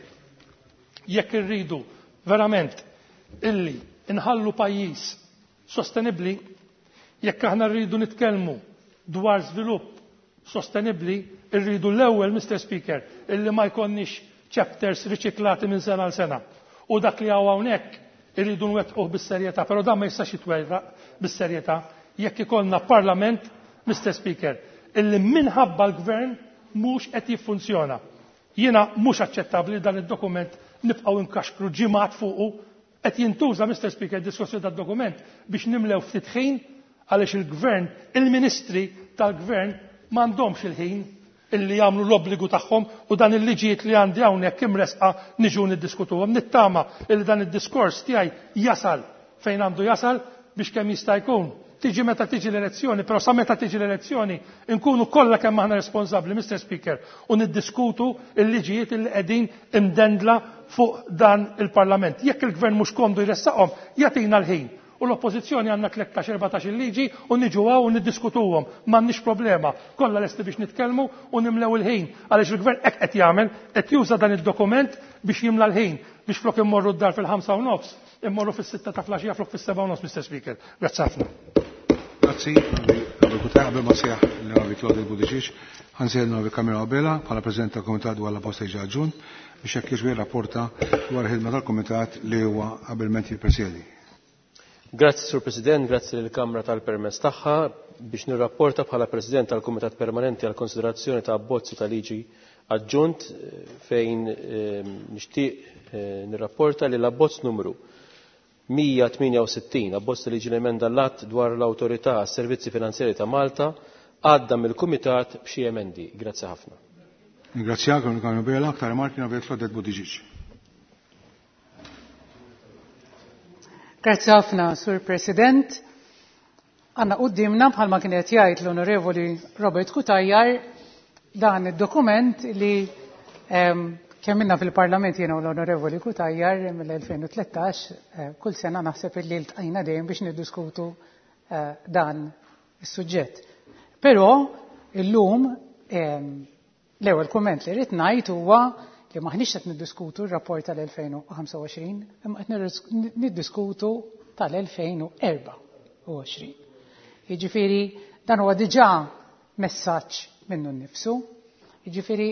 Jekk irridu verament illi inħallu pajjiż sostenibbli, jekk aħna rridu nitkellmu dwar żvilupp sostenibbli, irridu l-ewwel, Mister Speaker, illi ma jkollniex chapters riċiklati minn sena għal sena. U dak li hawn hawnhekk irridu nwettquh bis-serjetà, però dan ma jistax jitwerraq bis-serjetà jekk ikollna parlament, Mister Speaker, illi minħabba l-gvern mhux qed jiffunzjona. Jiena mhux aċċettabbli dan id-dokument nibqgħu nkaxkru ġimgħat fuqu, qed jintuża, Mister Speaker, diskussjoni tad-dokument biex nimlew ftit ħin għaliex il-gvern, il-ministri tal-gvern m'għandhomx il-ħin illi jagħmlu l-obbligu tagħhom u dan il-liġijiet li għandi hawnhekk imresqa niġu niddiskutuhom. Nittama illi dan id-diskors tiegħi jasal fejn għandu jasal biex kemm jista' jkun. Tiġi meta tiġi l-elezzjoni, però sa meta tiġi l-elezzjoni nkunu kollha kemm aħna responsabbli, Mister Speaker, u niddiskutu l-liġijiet illi qegħdin imdendla fuq dan il-Parlament. Jekk il-gvern mhux komdu jressaqhom, jagħtina l-ħin. U l-oppożizzjoni għandna tlettax erbatax il-liġi u niġu hawn u niddiskutuhom. M'għandniex problema. Kollha lesti biex nitkellmu u nimlew il-ħin. Għaliex il-gvern hekk qed jagħmel, qed juża dan id-dokument biex jimla l-ħin, biex flok immorru d-dar fil-ħamsa u nofs, immorru fis-sitta ta' flaxija flok fis-seba' u nofs, Mister Speaker. Grazzi ħafna. Grazzi, Qabel ma sejjaħ l-Onorevoli Claudette Buttigieg, ħansejjaħ l-Onorevoli Carmelo Abela bħala President tal-Kumitat dwar la posta ġun biex jekk jixwi rapporta dwar il-ħidma tal-Kumitat li huwa abilment jippresjedi. Grazzi, Sur President, grazzi lill-Kamra tal-permess tagħha biex nirrapporta bħala President tal-Kumitat Permanenti għal konsiderazzjoni ta' abbozzi ta' liġi aġġunt fejn nixtieq nirrapporta li l-abbozz numru mija tmienja u sittin, abbozz ta' liġi l-emenda l-att dwar l-Awtorità għas-Servizzi Finanzjari ta' Malta, għadda mill-Kumitat b'xi emendi. Grazzi ħafna. Ringrazzjak, Onorevoli Bela, aktar rimarki Onorevoli Claudette Buttigieg. Grazzi ħafna, Sur President. Għanna qudiemna bħalma kien qed jgħid l-Onorevoli Robert Cutajar dan id-dokument li kemm minna fil-Parlament jiena u l-Onorevoli Cutajar mill-elfejn u tlettax, kull sena naħseb li ltqajna dejjem biex niddiskutu dan is-suġġett. Però illum l-ewwel kumment li rrid ngħid huwa li maħniex qed niddiskutu r-rapport tal-elfejn u ħamsa u għoxrin, imma qed niddiskutu tal-elfejn u erba' u għoxrin. Jiġifieri dan huwa diġà messaġġ minnu nnifsu. Jiġifieri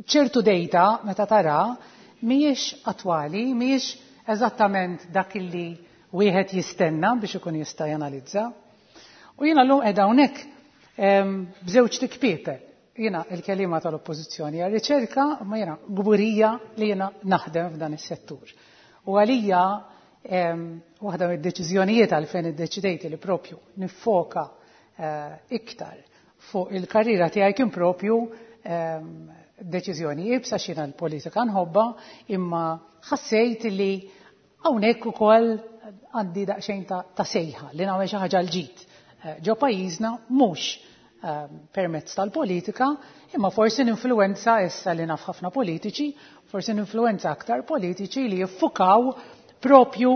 ċertu data meta tara mhijiex attwali, mhijiex eżattament dak li wieħed jistenna biex ikun jista' janalizza. U jiena llum qiegħda hawnhekk b'żewġ tikpiepel. Jiena il-kelima tal-oppożizzjoni għar-riċerka, ma jiena gburija li jiena naħdem f'dan is-settur. U għalija waħda mid-deċiżjonijiet għalfejn iddeċidejt li propju nifoka iktar fuq il-karriera tiegħi kien propju deċiżjoni iebsa x'jiena l-politika nħobba, imma ħassejt li hawnhekk ukoll għandi daqsxejn ta' sejħa li nagħmel xi ħaġa l-ġid. Ġo pajjiżna mhux permezz tal-politika, imma forsi ninfluwenza issa li naf ħafna politiċi, forsi ninfluwenza aktar politiċi li jiffukaw propju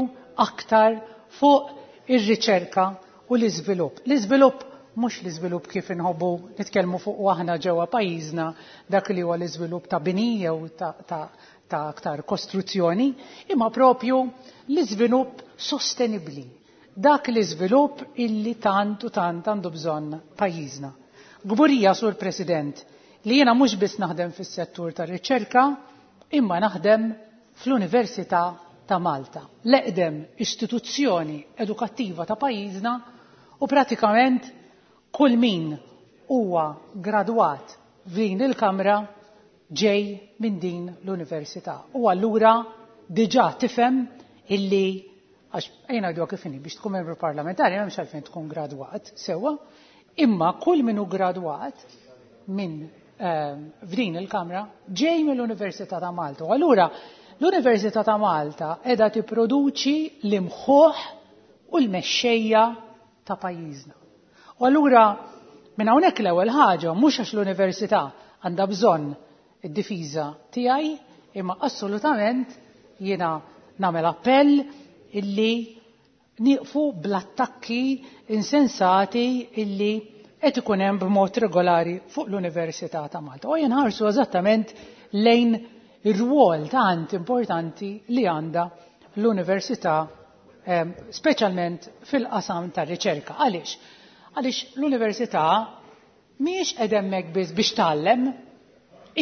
aktar fuq ir-riċerka u l-iżvilupp. L-iżvilupp mhux l-iżvilupp kif inħobbu nitkellmu fuq aħna ġewwa pajjiżna dak li huwa l-iżvilupp ta' bini jew ta', ta, ta' aktar kostruzzjoni, imma propju l-iżvilupp sostenibbli. Dak l-iżvilupp illi tant u tant għandu bżonn pajjiżna. Gburija, Sur President, li jiena mhux biss naħdem fis-settur tar-riċerka, imma naħdem fl-Università ta' Malta, l-eqdem istituzzjoni edukattiva ta' pajjiżna, u pratikament kull min huwa gradwat f'din il-Kamra ġej minn din l-Università. U allura diġà tifhem illi għax ejna ngħidu kif inhi biex tkun membru parlamentari m'hemmx għalfejn tkun gradwat sewwa, imma kull min hu gradwat minn f'din il-Kamra ġej mill-Università ta' Malta. U allura l-Università ta' Malta qiegħda tipproduċi l-imħuħ u l-mexxejja ta' pajjiżna. U allura minn hawnhekk l-ewwel ħaġa mhux għax l-Università għandha bżonn id-difiża tiegħi, imma assolutament jiena nagħmel appell illi nieqfu bl-attakki insensati illi qed ikun hemm b'mod regolari fuq l-Università ta' Malta. U jinħarsu eżattament lejn ir-rwol tant importanti li għandha l-Università, speċjalment fil-qasam tar-riċerka. Għaliex? Għaliex l-Università mhijiex qed hemmhekk biss biex tgħallem,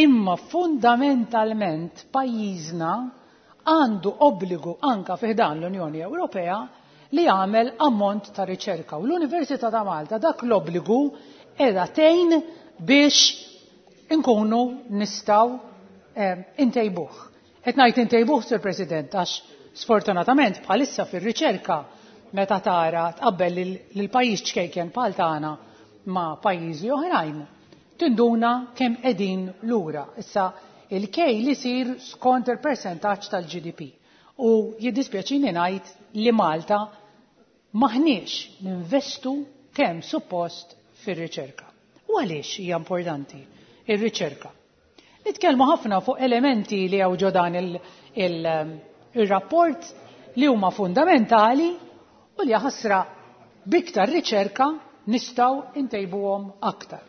imma fundamentalment pajjiżna għandu obbligu anka fi ħdan l-Unjoni Ewropea li jagħmel ammont ta' riċerka. U l-Università ta' Malta dak l-obbligu qiegħda tgħin biex inkunu nistgħu intejbuh. Qed ngħid intejbuh, Sur President, għax sfortunatament bħalissa fir-riċerka meta tara tqabbel lil pajjiż ċkejken bħal tagħna ma' pajjiżi oħrajn, tinduna kemm qegħdin lura. Issa il-kejl isir skont il-percentaġġ tal-G D P. U jiddispjaċini ngħid li Malta maħniex ninvestu kemm suppost fir-riċerka. U għaliex hija importanti ir-riċerka? Nitkellmu ħafna fuq elementi li hawn ġo dan il-rapport li huma fundamentali u li ħasra biktar riċerka nistgħu ntejbuhom aktar.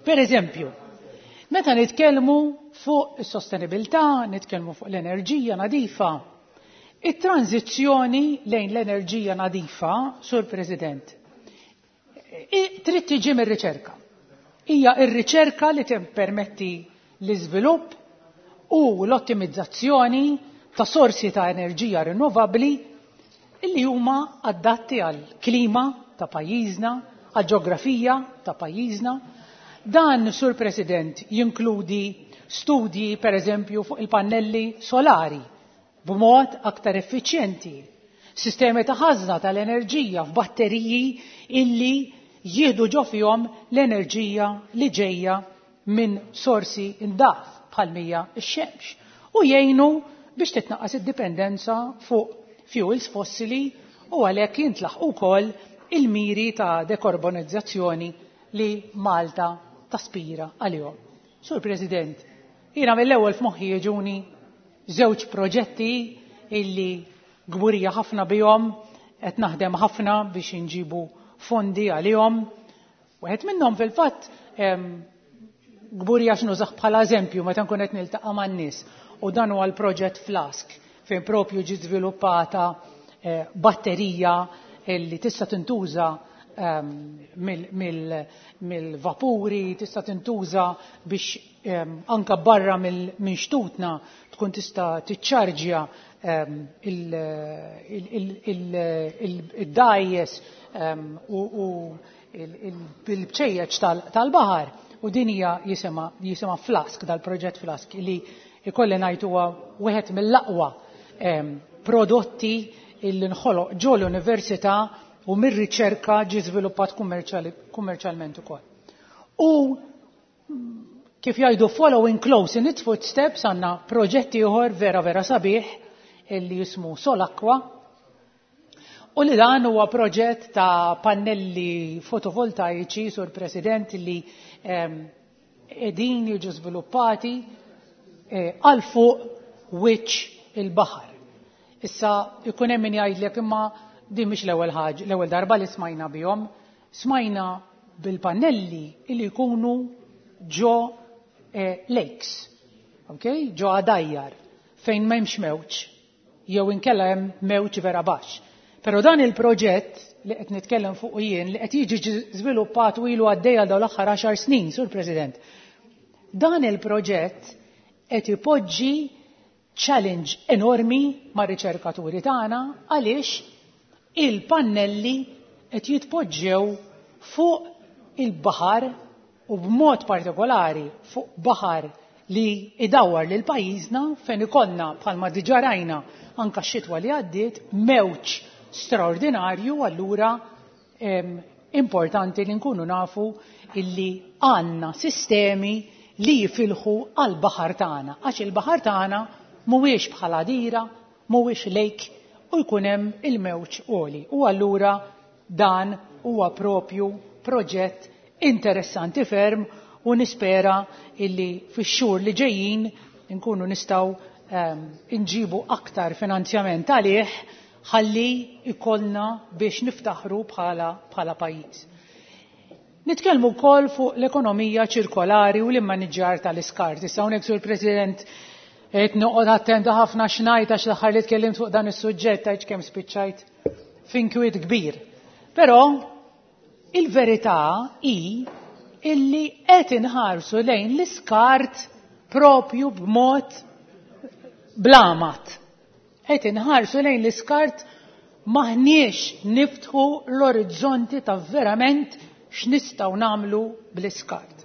Per eżempju, meta nitkellmu fuq is-sostenibilità, nitkellmu fuq l-enerġija nadifa, it-tranzizzjoni lejn l-enerġija nadifa, Sur President, trid tiġi mir-riċerka. Hija r-riċerka li tippermetti l-iżvilupp u l-ottimizzazzjoni ta' sorsi ta' enerġija rinnovabbli li huma adatti għall-klima ta' pajjiżna, għall-ġeografija ta' pajjiżna. Dan, Sur President, jinkludi studji, per eżempju, fuq il-pannelli solari b'mod aktar effiċjenti, sistemi ta' ħażna tal-enerġija f'batteriji illi jieħdu ġo fihom l-enerġija li ġejja minn sorsi indaf bħal mija x-xemx u jgħinu biex titnaqqas id-dipendenza fuq fuels fossili u għalhekk jintlaħqu wkoll il-miri ta' dekarbonizzazzjoni li Malta taspira għalihom. Sur President, jiena mill-ewwel f'moħħi jiġuni żewġ proġetti illi gburija ħafna bihom, qed naħdem ħafna biex inġibu fondi għalihom. Wieħed minnhom fil-fatt gburija x'nużah bħala eżempju meta nkun qed niltaqa' man-nies, u dan huwa l-proġett Flask fejn propju ġiet żviluppata eh, batterija li tista' tintuża ehm, mill-vapuri, tista' tintuża biex ehm, anka barra minn xtutna tkun tista' tiċċarġja ehm, il-dajjes u il-bċejjeċ tal-baħar. U din hija jisimha jisimha Flask, dal-proġett Flask, li ikolli ngħid huwa wieħed mill-aqwa prodotti illi nħoloq ġo l-università u mir-riċerka ġie żviluppat kummerċjalment ukoll. U kif jgħidu, following close in its footsteps, għandna proġetti ieħor vera vera sabiħ illi jismu Solaqua, u li dan huwa proġett ta' pannelli fotovoltaiċi, Sur President, li qegħdin jiġu żviluppati eh, għal fuq wiċċ il-baħar. Issa ikun hemm min jgħidlek, imma din mhix l-ewwel ħaġa, l-ewwel darba li smajna bihom, smajna bil-pannelli li jkunu ġo eh, lakes, okay? Ġo għadajjar, fejn m'hemmx mewġ, jew inkella hemm mewġ vera baxx. Però dan il-proġett li qed nitkellem fuq jien, li qed jiġi żviluppat u ilu għaddejja dawn l-aħħar għaxar snin, Sur President. Dan il-proġett qed ipoġġi challenge enormi ma' riċerkaturi tagħna, għaliex il-pannelli qed jitpoġġew fuq il-baħar, u b'mod partikolari fuq baħar li idawwar lil pajjiżna, fejn ikollna, bħalma diġà rajna anka x-xitwa li għaddiet, mewġ straordinarju. Allura importanti li nkunu nafu illi għandna sistemi li jifilħu għal baħar tagħna, għax il-baħar tagħna mhuwiex bħala dira, mhuwiex lake u jkun hemm il-mewġ għoli. U allura dan huwa propju proġett interessanti ferm u nispera illi fix-xhur li ġejjin nkunu nistgħu um, inġibu aktar finanzjament għalih ħalli ikollna biex niftaħru bħala, bħala pajjiż. Nitkellmu wkoll fuq l-ekonomija ċirkolari u l-immaniġġar tal-iskart. Issa hawnhekk, Sur President, qed noqgħod attenta ħafna x'ngħid, għax l-aħħar li tkellimt fuq dan is-suġġett għidx kemm spiċċajt f'inkwiet kbir. Però il-verità hi illi qed inħarsu lejn l-iskart propju b'mod blamat. Qed inħarsu lejn l-iskart, maħniex niftħu l-orizzonti ta' verament x'nistgħu nagħmlu bl-iskart.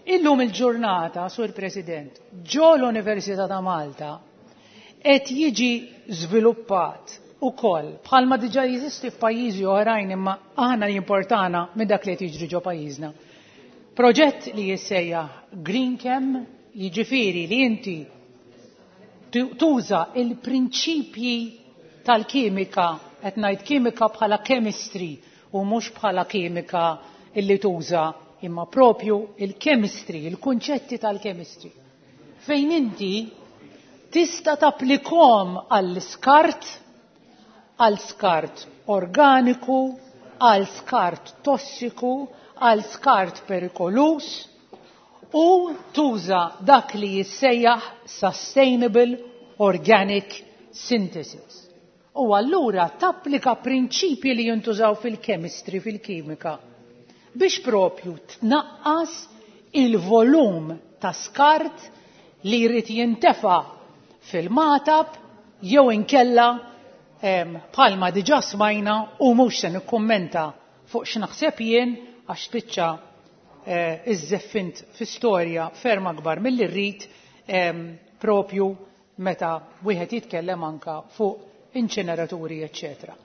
Illum il-ġurnata, Sur President, ġo l-Università ta' Malta qed jiġi żviluppat ukoll, bħalma diġà jeżisti f'pajjiżi oħrajn, imma aħna jimportana minn dak li qed jiġri ġo pajjiżna. Proġett li jissejjaħ Green Chem, jiġifieri li inti tuża il-prinċipji tal-kimika, qed ngħid kimika bħala chemistry u mhux bħala kimika illi tuża, imma propju il-chemistry, il-kunċetti tal-chemistry. Fejn inti tista' tapplikom għall-iskart, għal skart organiku, għal skart tossiku, għal skart perikolus, u tuża dak li jissejjaħ Sustainable Organic Synthesis. U allura tapplika prinċipji li jintużaw fil-chemistry, fil-kimika, biex propju tnaqqas il-volum ta' skart li jrid jintefa' fil-Magħtab jew inkella, bħalma diġà smajna, u mhux se nikkummenta fuq x'naħseb jien għax spiċċa eh, iżżeffint fi storja ferm akbar milli rrid, propju meta wieħed jitkellem anka fuq inċineraturi, eċċetera.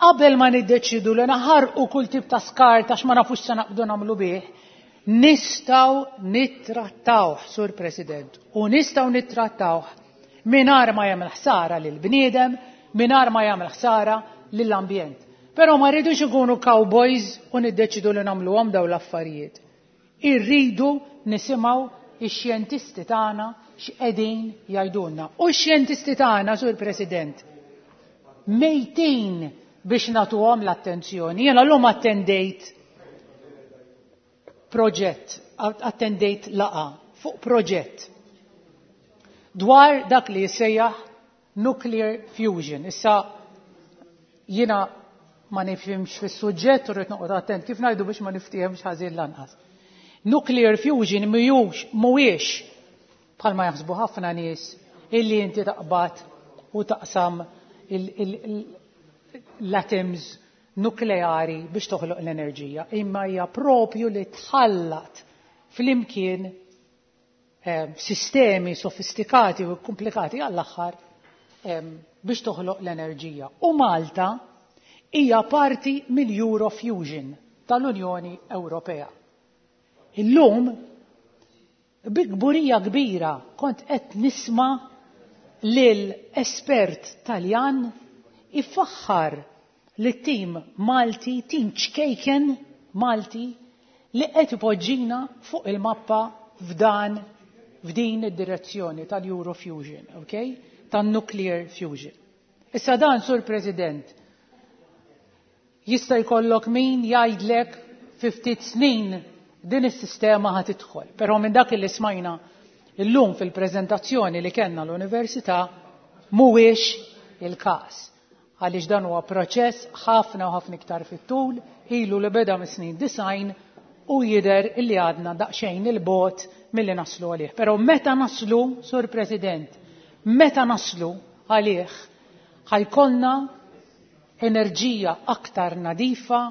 Qabel ma niddeċidu li naħarqu kull tip ta' skart għax ma nafux se naqbdu nagħmlu bih, Nistgħu nittrattawh, Sur President, u nistgħu nittrattawh mingħajr ma jagħmel ħsara lill-bniedem, mingħajr ma jagħmel ħsara lill-ambjent. Però ma rridux ikunu cowboys u niddeċidu li nagħmluhom dawn l-affarijiet. Irridu nisimgħu ix-xjentisti tagħna x'qegħdin jgħidulna. U x-xjentisti tagħna, Sur President, mejtin biex nagħtuhom l-attenzjoni. Jiena llum attendejt proġett, attendejt laqgħa fuq proġett dwar dak li jissejjaħ nuclear fusion. Issa jiena ma nifhimx fis-suġġett u rrid noqgħod attent kif ngħidu biex ma niftihemx ħażin lanqas. Nuclear fusion mhijiex mhuwiex bħalma jaħsbu ħafna nies illi inti taqbad u taqsam l-atoms nukleari biex toħloq l-enerġija, imma hija propju li tħallat flimkien eh, sistemi sofistikati u komplikati għall-aħħar eh, biex toħloq l-enerġija. U Malta hija parti mill-Eurofusion tal-Unjoni Ewropea. Illum bi kburija kbira kont qed nisma' lil espert Taljan ifaħħar li tim Malti, tim ċkejken Malti li qed ipoġġina fuq il-mappa f'dan f'din id-direzzjoni tal-Eurofusion, okay? Tan-nuclear fusion. Issa dan, Sur President, jista' jkollok min jgħidlek fi ftit snin din is-sistema ħa tidħol. Però minn dak li smajna illum fil-preżentazzjoni li kellna l-Università mhuwiex il-każ. Għaliex dan huwa proċess ħafna u ħafna iktar fit-tul, ilu li beda mis-snin disgħin u jidher illi għadna daqsxejn il-bogħod milli naslu għalih. Però meta naslu, Sur President, meta naslu għalih, ħa jkollna enerġija aktar nadifa,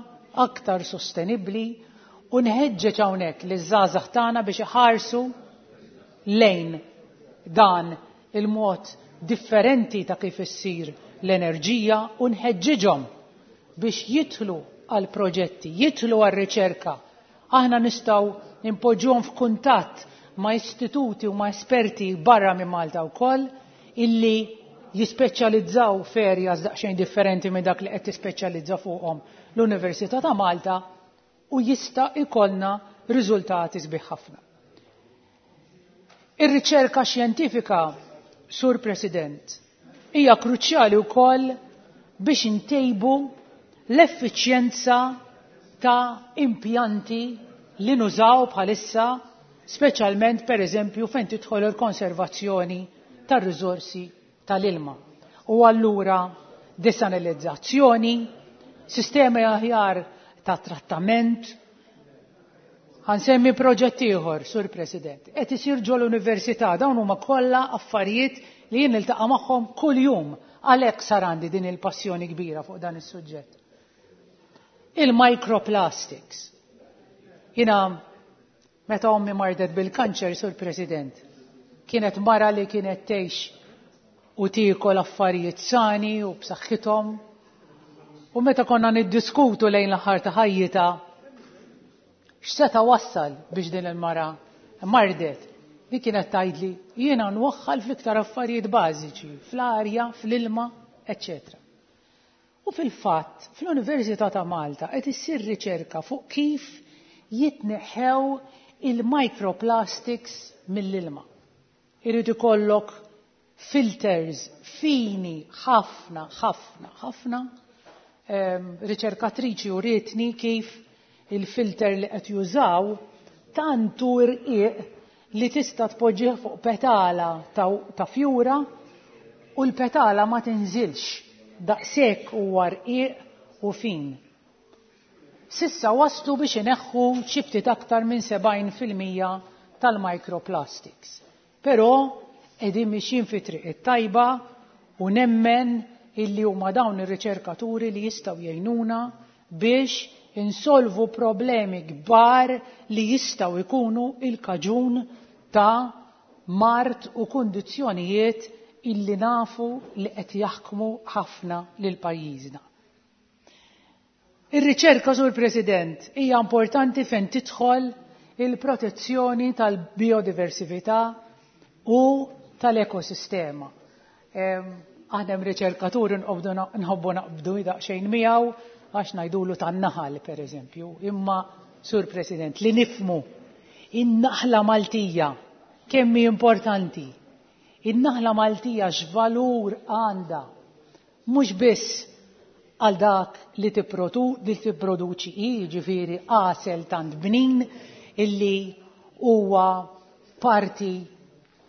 aktar sostenibbli, u nħeġġeġ hawnhekk li żgħażagħ tagħna biex iħarsu lejn dan il-mod differenti ta' kif issir l-enerġija u nħeġġiġhom biex jidħlu għal proġetti, jidħlu għal riċerka. Aħna nistgħu nimpoġġuhom f'kuntatt ma' istituti u ma' esperti barra minn Malta wkoll illi jispeċjalizzaw f'areas daqsxejn differenti minn dak li qed tispeċjalizza fuqhom l-Università ta' Malta u jista' jkollna riżultati sbieħ ħafna. Ir-riċerka xjentifika, Sur President, hija kruċjali wkoll biex intejbu l-effiċjenza ta' impjanti li nużaw bħalissa, speċjalment per eżempju fejn tidħol il-konservazzjoni tar-riżorsi tal-ilma. U allura desanalizzazzjoni, sistemi aħjar ta' trattament. Ħa nsemmi proġett ieħor, Sur President, qed isir ġol università, dawn huma kollha affarijiet li jien niltaqa' magħhom kuljum, għalhekk sar għandi din il-passjoni kbira fuq dan is-suġġett. Il-microplastics. Jiena meta ommi mardet bil-kanċer, Sur President, kienet mara li kienet tgħix u tiekol affarijiet sani u b'saħħithom. U meta konna niddiskutu lejn l-aħħar ta' ħajjitha x'seta' wassal biex din il-mara mardet, di kienet tgħidli jiena nwaħħal fl-iktar affarijiet bażiċi, fl-arja, fl-ilma, eċċetera. U fil-fatt, fl-Università ta' Malta qed issir riċerka fuq kif jitneħħew il-microplastics mill-ilma. Irid ikollok filters fini ħafna, ħafna, ħafna. Ehm, riċerkatriċi urietni kif il-filter li qed jużaw tantu irqiq li tista' tpoġġih fuq petala ta', ta' fjura u l-petala ma tinżilx, daqshekk huwa rqiq u fin. Sissa waslu biex ineħħu xi ftit aktar minn sebgħin fil-mija tal-microplastics. Però qegħdin mixjin fi triq it-tajba u nemmen illi huma dawn ir-riċerkaturi li jistgħu jgħinuna biex insolvu problemi kbar li jistgħu jkunu il-kaġun ta' mard u kundizzjonijiet illi nafu li qed jaħkmu ħafna lil pajjiżna. Ir-riċerka, Sur President, hija importanti fejn tidħol il-protezzjoni tal-biodiversità u tal-ekosistema. Aħna hemm riċerkaturi nħobbu naqbdu daqsxejn miegħu għax ngħidulu tan-naħal pereżempju, imma Sur President li nifmu in-naħla Maltija kemm hi importanti. In-naħla Maltija x'valur għandha mhux biss għal dak li tipproduċi hi, jiġifieri għasel tant bnin illi huwa parti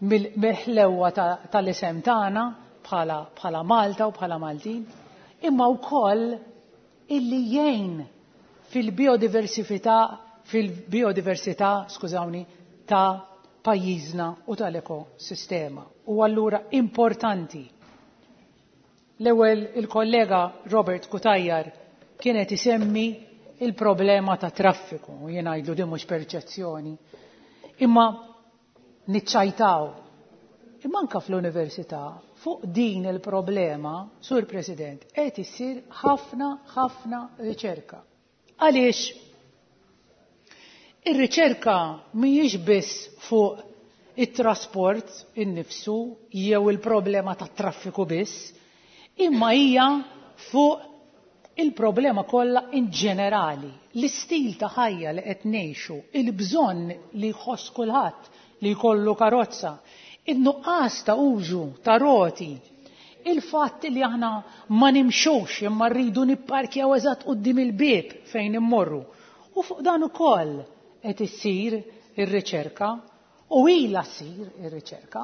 mill-ħlewwa tal-isem tagħna bħala bħala Malta u bħala Maltin, imma wkoll illi jgħin fil-biodiversità fil-biodiversità, skużawni, ta' pajjiżna u tal-ekosistema. U allura importanti. L-ewwel il-kollega Robert Cutajar kienet isemmi il-problema ta' traffiku, u jien ngħidlu din mhux perċezzjoni. Imma niċċajtaw. Imma anke fl-università fuq din il-problema, Sur President, qed issir ħafna ħafna riċerka. Għaliex ir-riċerka mhijiex biss fuq it-trasport innifsu jew il-problema tat-traffiku biss, imma hija fuq il-problema kollha in ġenerali, l-istil ta' ħajja li qed ngħixu, il-bżonn li jħoss kulħadd li jkollu karozza, in-nuqqas ta' użu ta' roti, il-fatt li aħna ma nimxux imma rridu nipparkjaw eżatt quddiem il-bieb fejn immorru. U fuq dan ukoll qed issir ir-riċerka u ilha ssir ir-riċerka.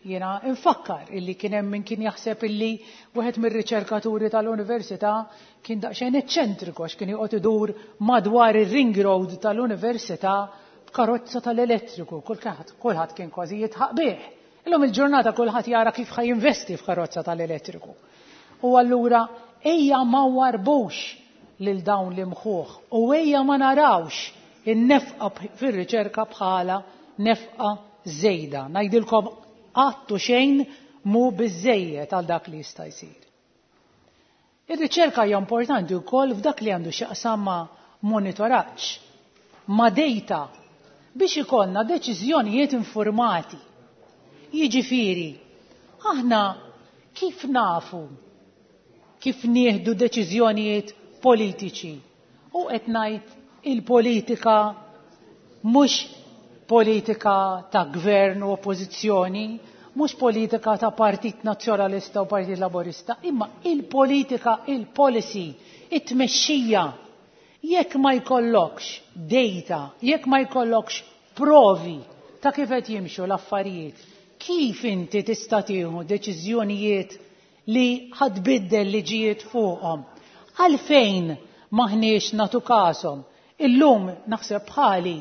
Jiena nfakkar illi kien hemm min kien jaħseb illi wieħed mir-riċerkaturi tal-università kien daqsxejn eċċentriku għax kien joqgħod idur madwar ir-ring road tal-università b'karozza tal-elettriku, kulħadd kulħadd kien kważi jitħaq bih. Illum il-ġurnata kulħadd jara kif ħa jinvesti f'karozza tal-elettriku. U allura ejja ma warbux lil dawn l-imħuħ u ejja ma narawx in-nefqa fir-riċerka bħala nefqa żejda. Ngħidilkom għattu xejn mu biżejjed għal dak li jista' jsir. Ir-riċerka hija importanti wkoll f'dak li għandu x'jaqsam ma' monitoraġġ, ma' data biex ikollna deċiżjonijiet informati. Jiġifieri, aħna kif nafu kif nieħdu deċiżjonijiet politiċi? U qed ngħid il-politika mhux politika ta' gvern u oppożizzjoni, mhux politika ta' Partit Nazzjonalista u Partit Laburista, imma il-politika, il-policy, it-tmexxija. Jekk ma jkollokx data, jekk ma jkollokx provi ta' kif qed jimxu l-affarijiet, kif inti tista' tieħu deċiżjonijiet li ħadbiddel liġijiet fuqhom? Għalfejn maħniex nagħtu kashom? Illum naħseb bħali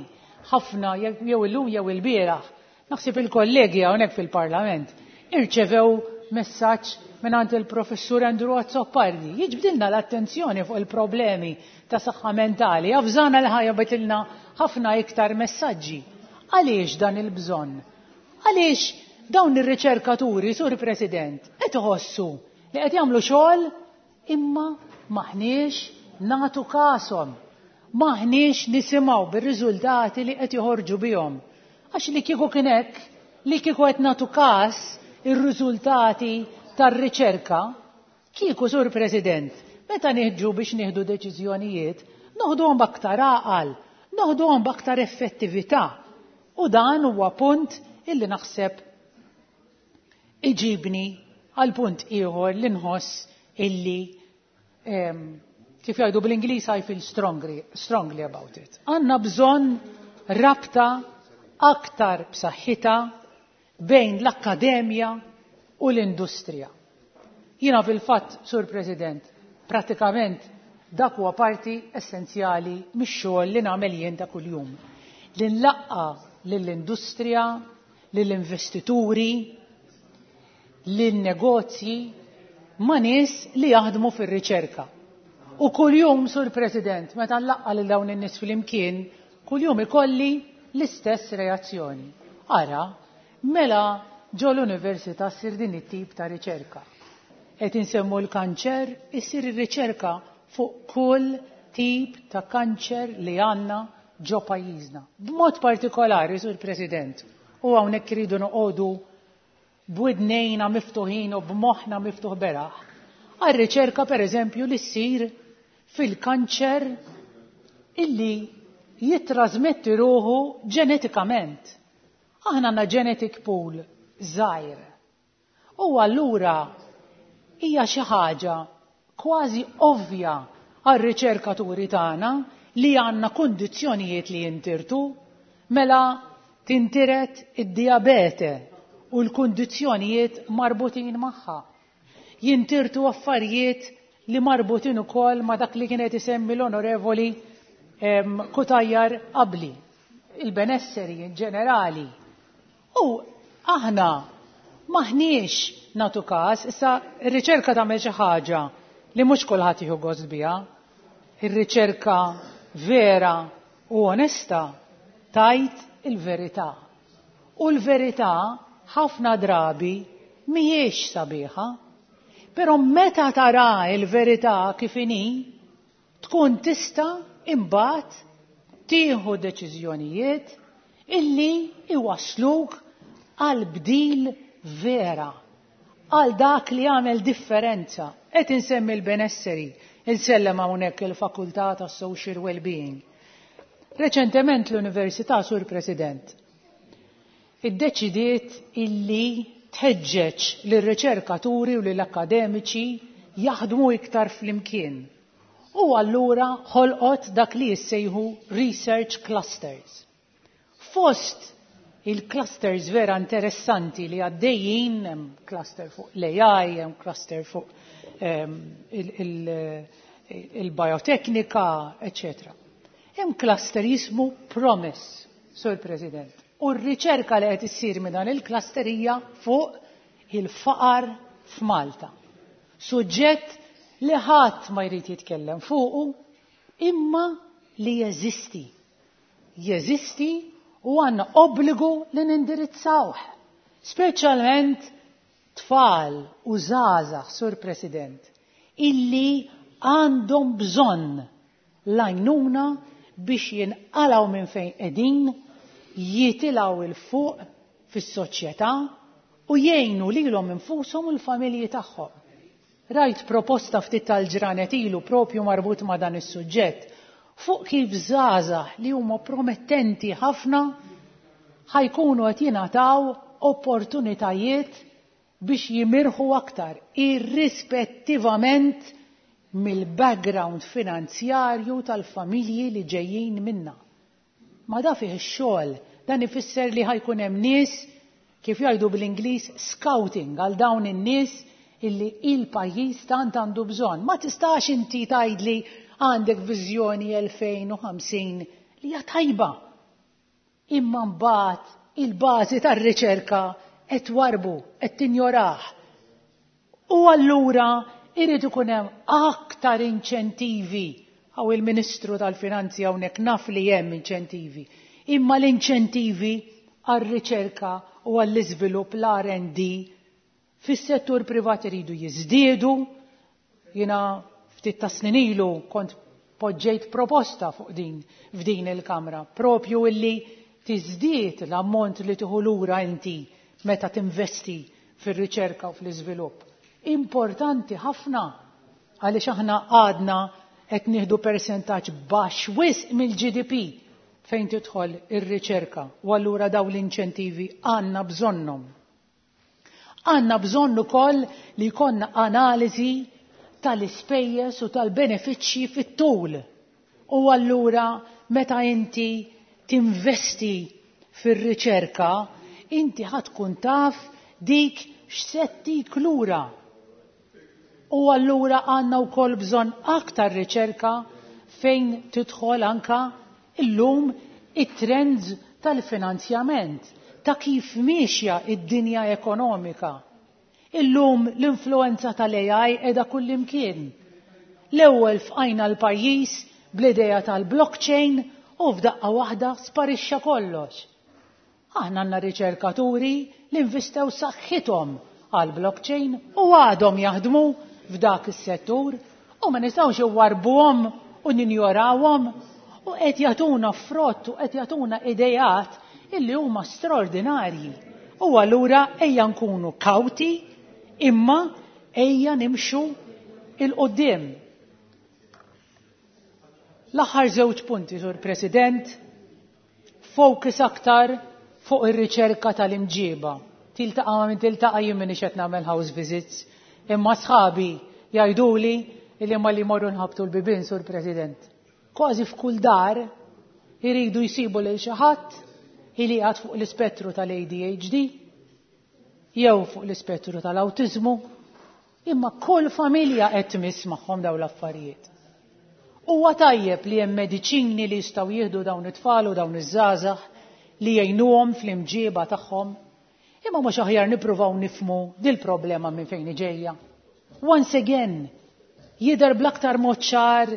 ħafna jew illum jew il-bieraħ, naħseb il-kollegi hawnhekk fil-Parlament irċevew messaġġ mingħand il-professur Andrew Azzopardi. Jiġbdilna l-attenzjoni fuq il-problemi ta' saħħa mentali, avżana li ħajja bitilna ħafna iktar messaġġi. Għaliex dan il-bżonn? Għaliex dawn ir-riċerkaturi, Sur President, qed iħossu li qed jagħmlu xogħol imma maħniex nagħtu kashom, maħniex nisimgħu bir-riżultati li qed joħorġu bihom. Għax li kieku kien hekk, li kieku qed nagħtu każ ir-riżultati tar-riċerka, kieku, Sur President, meta nieħġu biex nieħdu deċiżjonijiet, noħduhom b'aktar għaqal, noħduhom b'aktar effettività. U dan huwa punt illi naħseb iġibni għal punt ieħor li nħoss illi kif jgħidu bl-Ingliż I feel strongly, strongly about it. Għandna bżonn rabta aktar b'saħħitha bejn l-akkademja u l-industrija. Jiena fil-fatt, Sur President, pratikament dak huwa parti essenzjali mix-xogħol li nagħmel jien ta' kuljum. Li nlaqqa lill-industrija, lill-investituri, lin-negozji ma' nies li jaħdmu fir-riċerka. U kuljum, Sur President, meta nlaqqa lil dawn in-nies flimkien, kuljum ikolli l-istess reazzjoni. Ara, mela ġo l-università ssir din it-tip ta' riċerka. Qed insemmu l-kanċer, issir ir-riċerka fuq kull tip ta' kanċer li għandna ġo pajjiżna. B'mod partikolari, Sur President, u hawnhekk iridu noqogħdu b'widnejna miftuħin u b'moħħna miftuħ beraħ, għar-riċerka pereżempju li ssir fil-kanċer illi jittrażmetti ruħu ġenetikament. Aħna għandna genetic pool żgħir. U allura hija xi ħaġa kważi ovvja għar-riċerkaturi tagħna li għandna kundizzjonijiet li jintirtu, mela tintiret id-diabete u l-kundizzjonijiet marbutin magħha. Jintirtu affarijiet li marbutin ukoll ma' dak li kienet isemmi l-onorevoli Cutajar qabli, il-benesseri in ġenerali. U aħna maħniex natu każ, issa ir-riċerka tagħmel xi ħaġa li mhux kulħadd jieħu gost biha. Ir-riċerka vera u onesta tajt il-verità. U l-verità ħafna drabi mhijiex sabiħa, però meta tara il-verità kif inhi, tkun tista' imbagħad tieħu deċiżjonijiet illi iwasluk għal bdil vera, għal dak li għamel differenza. Qed insemmi l-benesseri, insellem hawnhekk il-Fakultà tas-Social Wellbeing. Reċentement l-Università, Sur President, iddeċidiet illi tħeġġeġ lir-riċerkaturi u lill-akademiċi jaħdmu iktar flimkien. U allura ħolqot dak li jissejħu research clusters. Fost il-clusters vera interessanti li għaddejjin, hemm cluster fuq l-A I, hemm cluster fuq um, il-bioteknika, eccetera. Hemm cluster jismu Promise, Sur President. U r-riċerka li qed issir minn dan il-cluster hija fuq il-faqar f'Malta. Suġġett li ħadd ma jrid jitkellem fuqu, imma li jeżisti. Jeżisti u għandna obbligu li nindirizzawh. Speċjalment tfal u żgħażagħ, Sur President, illi għandhom bżonn l-għajnuna biex jinqalgħu minn fejn qegħdin, jitilgħu 'l fuq fis-soċjetà u jgħinu lilhom infushom u l-familji tagħhom. Rajt proposta ftit tal-ġranet ilu propju marbut ma' dan is-suġġett fuq kif żgħażagħ li huma promettenti ħafna ħajkunu qed jingħataw opportunitajiet biex jimirħu aktar irrispettivament mill-background finanzjarju tal-familji li ġejjin minna. Ma da fih ix-xogħol, dan ifisser li ħajkun hemm nies, kif jgħidu bl-Ingliż, scouting għal dawn in-nies illi il-pajjiż tant għandu bżonn. Ma tistax inti tgħidli għandek viżjoni elfejn u ħamsin li hija tajba. Imma mbagħad il-bażi tar-riċerka qed warbu, qed tinjorah. U allura irid ikun hemm aktar inċentivi. Għaw il-Ministru tal-Finanzi hawnhekk naf li hemm inċentivi. Imma l-inċentivi għar-riċerka u għall-iżvilupp, l-R and D fis-settur privat iridu jiżdiedu. Jiena ftit ta' snin ilu kont poġġejt proposta fuq din f'din il-Kamra, propju illi tiżdied l-ammont li tieħu lura inti meta tinvesti fir-riċerka u fl-iżvilupp. Importanti ħafna għaliex aħna għadna qed nieħdu persentaġġ baxx wisq mill-G D P fejn tidħol ir-riċerka, u allura dawn l-inċentivi għandna bżonnhom. Għandna bżonn ukoll li jkollna analiżi tal-ispejjeż u tal-benefiċċji fit-tul. U allura meta inti tinvesti fir-riċerka, inti ħa tkun taf dik x'settik lura. U allura għandna wkoll bżonn aktar riċerka fejn tidħol anka illum it-trends tal-finanzjament, ta' kif miexja id-dinja ekonomika. Illum l-influenza tal-A I qiegħda kullimkien. L-ewwel fqajna l-pajjiż bl-idea tal-blockchain u f'daqqa waħda sparixxa kollox. Aħna għandna riċerkaturi li investew saħħithom għal-blockchain u għadhom jaħdmu f'dak is-settur u ma nistgħux iwarbuhom u ninjorawhom U qed jagħtuna frott u qed jagħtuna idejat illi huma straordinarji. U allura ejja nkunu kawti imma ejja nimxu il-qoddim. L-aħħar żewġ punti, Sur President, focus aktar fuq ir-riċerka tal-imġiba. Tiltaqa' ma' min tiltaqa' jien m'iniex qed nagħmel house visits, imma sħabi jgħiduli li ma li morru nħabtu l-bibien, Sur President. Kważi f'kull dar iridu jsibu lil xi ħadd li qiegħed fuq l-ispettru tal-A D H D jew fuq l-ispettru tal-awtiżmu, imma kull familja qed tmiss magħhom dawn l-affarijiet. Huwa tajjeb li hemm mediċini li jistgħu jieħdu dawn it-tfal u dawn iż-żgħażagħ li jgħinuhom fl-imġiba tagħhom, imma mhux aħjar nippruvaw nifhmu dil-problema minn fejn ġejja? Once again, jidher bl-aktar mod ċar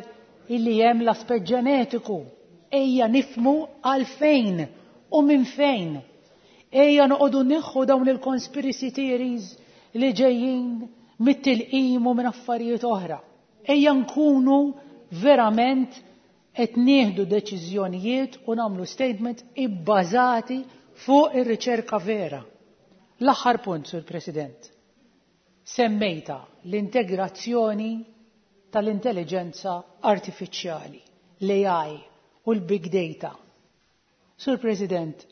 illi hemm l-aspett ġenetiku. Ejja nifhmu għalfejn u minn fejn. Ejja noqogħdu neħħu dawn il-conspiracy theories li ġejjin mit-tilqim u minn affarijiet oħra. Ejja nkunu verament qed nieħdu deċiżjonijiet u nagħmlu statement ibbażati fuq ir-riċerka vera. L-aħħar punt, Sur President, semmejta l-integrazzjoni tal-intelligenza artifiċjali, l-A I u l-big data. Sur President,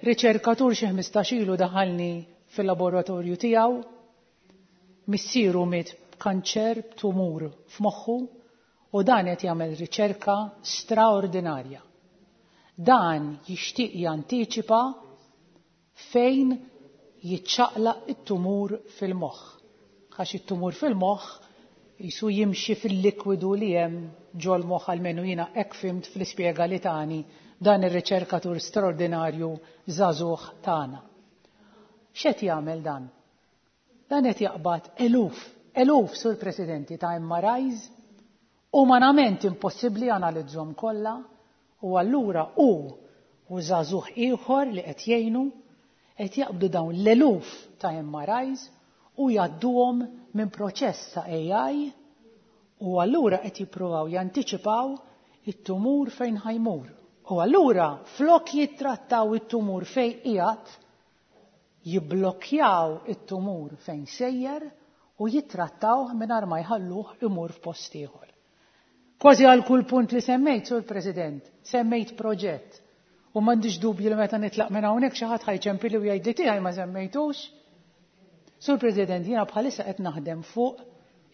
riċerkatur xi ħmistax ilu daħalni fil-laboratorju tiegħu, missieru miet b'kanċer, b'tumur f'moħħu, u dan qed jagħmel riċerka straordinarja. Dan jixtieq jantiċipa fejn jiċċaqlaq it-tumur fil-moħħ. Għax it-tumur fil-moħħ jisu jimxi fil-likwidu li hemm ġol moħħ, almenu jiena hekk fhimt fl-ispjega li tani dan ir-riċerkatur straordinarju żagħżugħ tagħna. X'qed jagħmel dan? Dan qed jaqbad eluf, eluf, Sur Presidenti, ta' M R Is, umanament impossibbli analizzhom kollha, u allura hu u żagħżugħ ieħor li qed jgħinu qed jaqbdu dawn l-eluf ta' M R Is u jgħadduhom minn proċess ta' A I u allura qed jippruvaw jantiċipaw it-tumur fejn ħa jmur. U allura flok jittrattaw it-tumur fejn qiegħed, jibblokjaw it-tumur fejn sejjer u jittrattaw mingħajr ma jħalluh imur f'post ieħor. Kważi għal kull punt li semmejt, Sur President, semmejt proġett. U m'għandix dubju li meta nitlaq minn hawnhekk xi ħadd ħa jċempilli u jgħidli tiegħi ma semmejtux. Sur President, jiena bħalissa qed naħdem fuq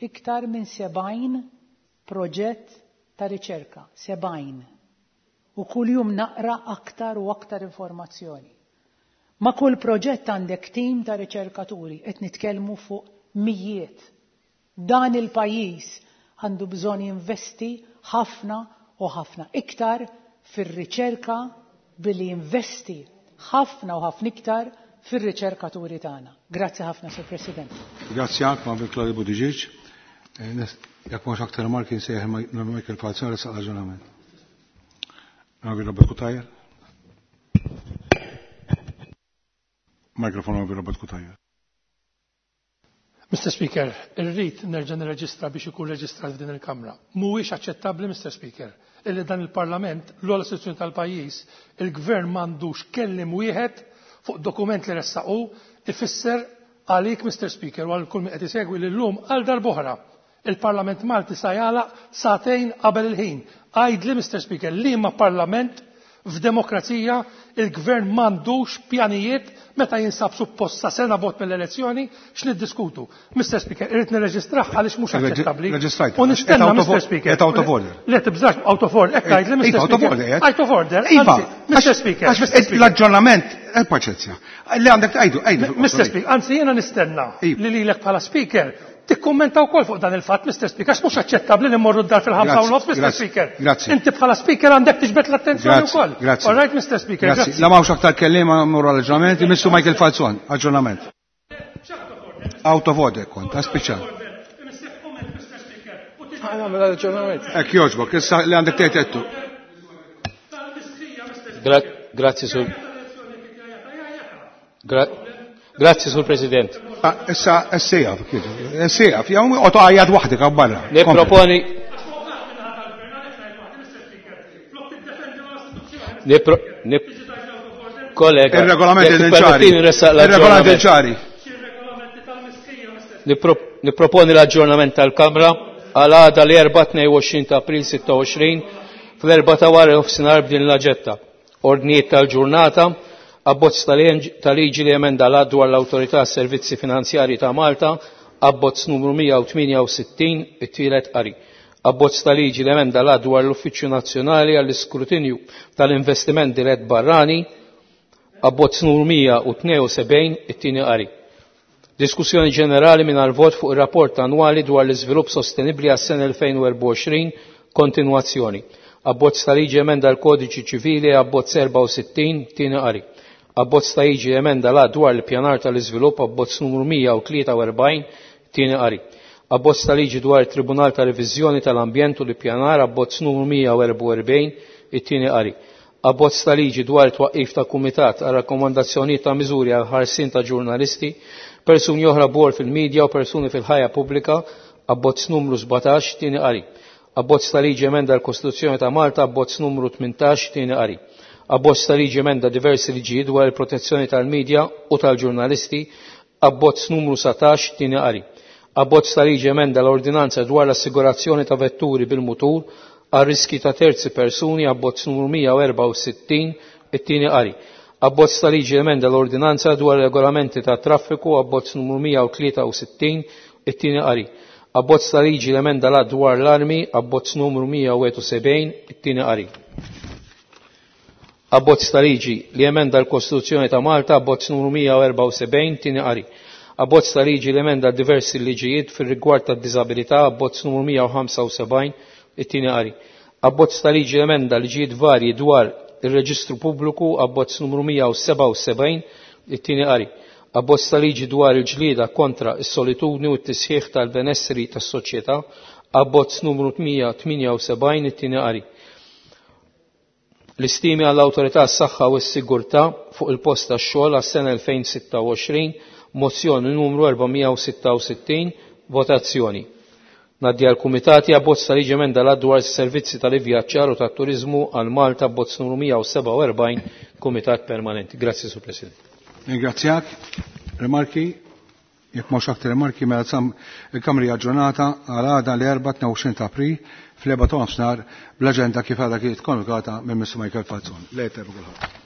iktar minn sebgħin proġett ta' riċerka, sebgħin. U kuljum naqra aktar u aktar informazzjoni. Ma' kull proġett għandek tim ta' riċerkaturi, qed nitkellmu fuq mijiet. Dan il-pajjiż għandu bżonn jinvesti ħafna u ħafna iktar fir-riċerka billi jinvesti ħafna u ħafna iktar fir-riċerkaturi tagħna. Grazzi ħafna, Sur President. Grazzi għak, ma' Claudia Buttigieg. Jekk mhux aktar marki nsejjaħ Michael Falzon sa' aġġornament. Robert Cutajar. Mikrofon Robert Cutajar. Mister Speaker, irrid nerġa' nirreġistra biex ikun reġistrat f'din il-Kamra. Mhuwiex aċċettabbli, Mister Speaker, illi dan il-Parlament, l-ogħla istituzzjoni tal-pajjiż, il-Gvern m'għandux kelliem wieħed fuq dokument li ressaqu. Ifisser għalik, Mister Speaker, u għal kull min qed isegwi, li llum għal darb'oħra il-Parlament Malti sa jagħlaq sagħtejn qabel il-ħin. Għidli, Mister Speaker, liema parlament f'demokrazija il-gvern m'għandux pjanijiet meta jinsab suppost sa sena bogħod mill-elezzjoni x'niddiskutu? Mister Speaker, irrid nirreġistrah għaliex mhux aċċettabbli. Reġistrajt. U nistenna, Mister Speaker. Qed out of order. Le tibżax out of order, hekk għidli, Mister Iva, out of Speaker. order, Out of order. Iva, Mister Speaker. L-aġġornament, eh, paċenzja. Li għandek għajdu, għajdu. Mister Speaker, anzi jiena nistenna li lilek bħala Speaker tikkummenta wkoll fuq dan il-fatt, Mister Speaker, għax mhux aċċettabbli li mmorru d-dar fil-ħamsa u nofs, Mister Speaker. Grazzi. Inti bħala Speaker għandek tiġbed l-attenzjoni wkoll. Grazzi. All right, Mister Speaker. Grazzi. La m'hawnx aktar kelliema, mmorru għall-aġġornament, Mister Michael Falzon, aġġornament. Out of order kont, spiċċa. Għamil aġġornament. Hekk jogħġbok, issa li għandek tgħid għedtu. Grazzi, Sur. Grazzi, Sur President. Ah, issa, issieqaf, issieqaf, jew oqgħod għajjat waħdek barra. Niproponi Kollega, Il-regolament ċari. Il-regolament ċari. Niproponi l-aġġornament tal-Kamra għal għada l-erba' tnejn u għoxrin ta' April sitta u għoxrin fl-erba' ta' wara nofsinhar b'din l-aġetta. Ordnijiet tal-ġurnata, abbozz tal-liġi li emenda l dwar l-Awtorità Servizzi Finanzjarji ta' Malta, abbozz numru mija u tmienja u sittin, it-tielet qari. Abbozz tal-liġi li emenda l dwar l-Uffiċċju Nazzjonali għall-Iskrutinju tal-Investiment Dirett Barrani, abbozz numru mija u tnejn u sebgħin, it-tieni qari. Diskussjoni ġenerali mingħajr vot fuq ir-rapport annwali dwar l-iżvilupp sostenibbli għas-sena elfejn u erbgħa u għoxrin, kontinwazzjoni. Abbozz ta' liġi emenda l-Kodiċi Ċivili, abbozz erbgħa u sittin, tieni qari. Abbozz ta' liġi emenda l dwar l-pjanar tal-iżvilupp, abbozz numru mija u tlieta u erbgħin, tieni qari. Abbozz ta' liġi dwar it-Tribunal ta' Reviżjoni tal-Ambjent u l-Ippjanar, abbozz numru mija u erbgħa u erbgħin, it-tieni qari. Abbozz ta' liġi dwar it-twaqqif ta' kumitat għal rakkomandazzjonijiet ta' miżuri għal ħarsien ta' ġurnalisti, persuni oħra bor fil-medja u persuni fil-ħajja pubblika, abbozz numru sbatax, tieni qari. Abbozz ta' liġi emenda l-Kostituzzjoni ta' Malta, abbozz numru tmintax, tieni qari. Abbozz ta' liġi emenda diversi liġijiet dwar il-protezzjoni tal-medja u tal-ġurnalisti, abbozz numru satax, tieni qari. Abbozz ta' liġi emenda l-ordinanza dwar l-assigurazzjoni ta' vetturi bil-mutur għal riski ta' terzi persuni, abbozz numru mija u erbgħa u sittin, it-tieni qari. Abbozz ta' liġi emenda l-ordinanza dwar regolamenti ta' traffiku, abbozz numru mija u tlieta u sittin, it-tieni qari. Abbozz ta' liġi l-emenda l dwar l-armi, abbozz numru mija u wieħed u sebgħin, it-tieni qari. Abbozz ta' liġi li emenda l-Kostituzzjoni ta' Malta, abbozz numru mija u erbgħa u sebgħin, tieni qari. Abbozz ta' liġi li emenda diversi liġijiet fir-rigward tad-diżabilità, abbozz numru mija u ħamsa u sebgħin, it-tieni qari. Abbozz ta' liġi li emenda liġijiet varji dwar ir-reġistru pubbliku, abbozz numru mija u sebgħa u sebgħin, it-tieni qari. Abbozz ta' liġi dwar il-ġlieda kontra s-solitudni u t-tisħiħ tal-benessri tas-soċjetà, abbozz numru mija tmienja u sebgħin, it-tieni qari. L-istimi għall-Awtorità s-Saħħa u s-Sigurtà fuq il-post tax-xogħol għas-sena elfejn sitta u għoxrin, mozzjoni numru erba' mija u sitta u sittin, votazzjoni. Ngħaddi għall-Kumitati, abbozz ta' liġi emenda l dwar is-servizzi tal-ivvjaġġar u tat-turiżmu għal Malta, abbozz numru mija u sebgħa u erbgħin, Kumitat Permanenti. Grazzi, Sur President. Ringrazzjak. Rimarki? Jekk mhux aktar rimarki, mela tsam il-Kamra aġġornata għal għada l-erba' tnejn u għoxrin ta' April fl-erba' ta' nofsinhar bl-aġenda kif għadha kienet konvokata minn Mister Michael Falzon. Lejl tajba kulħadd.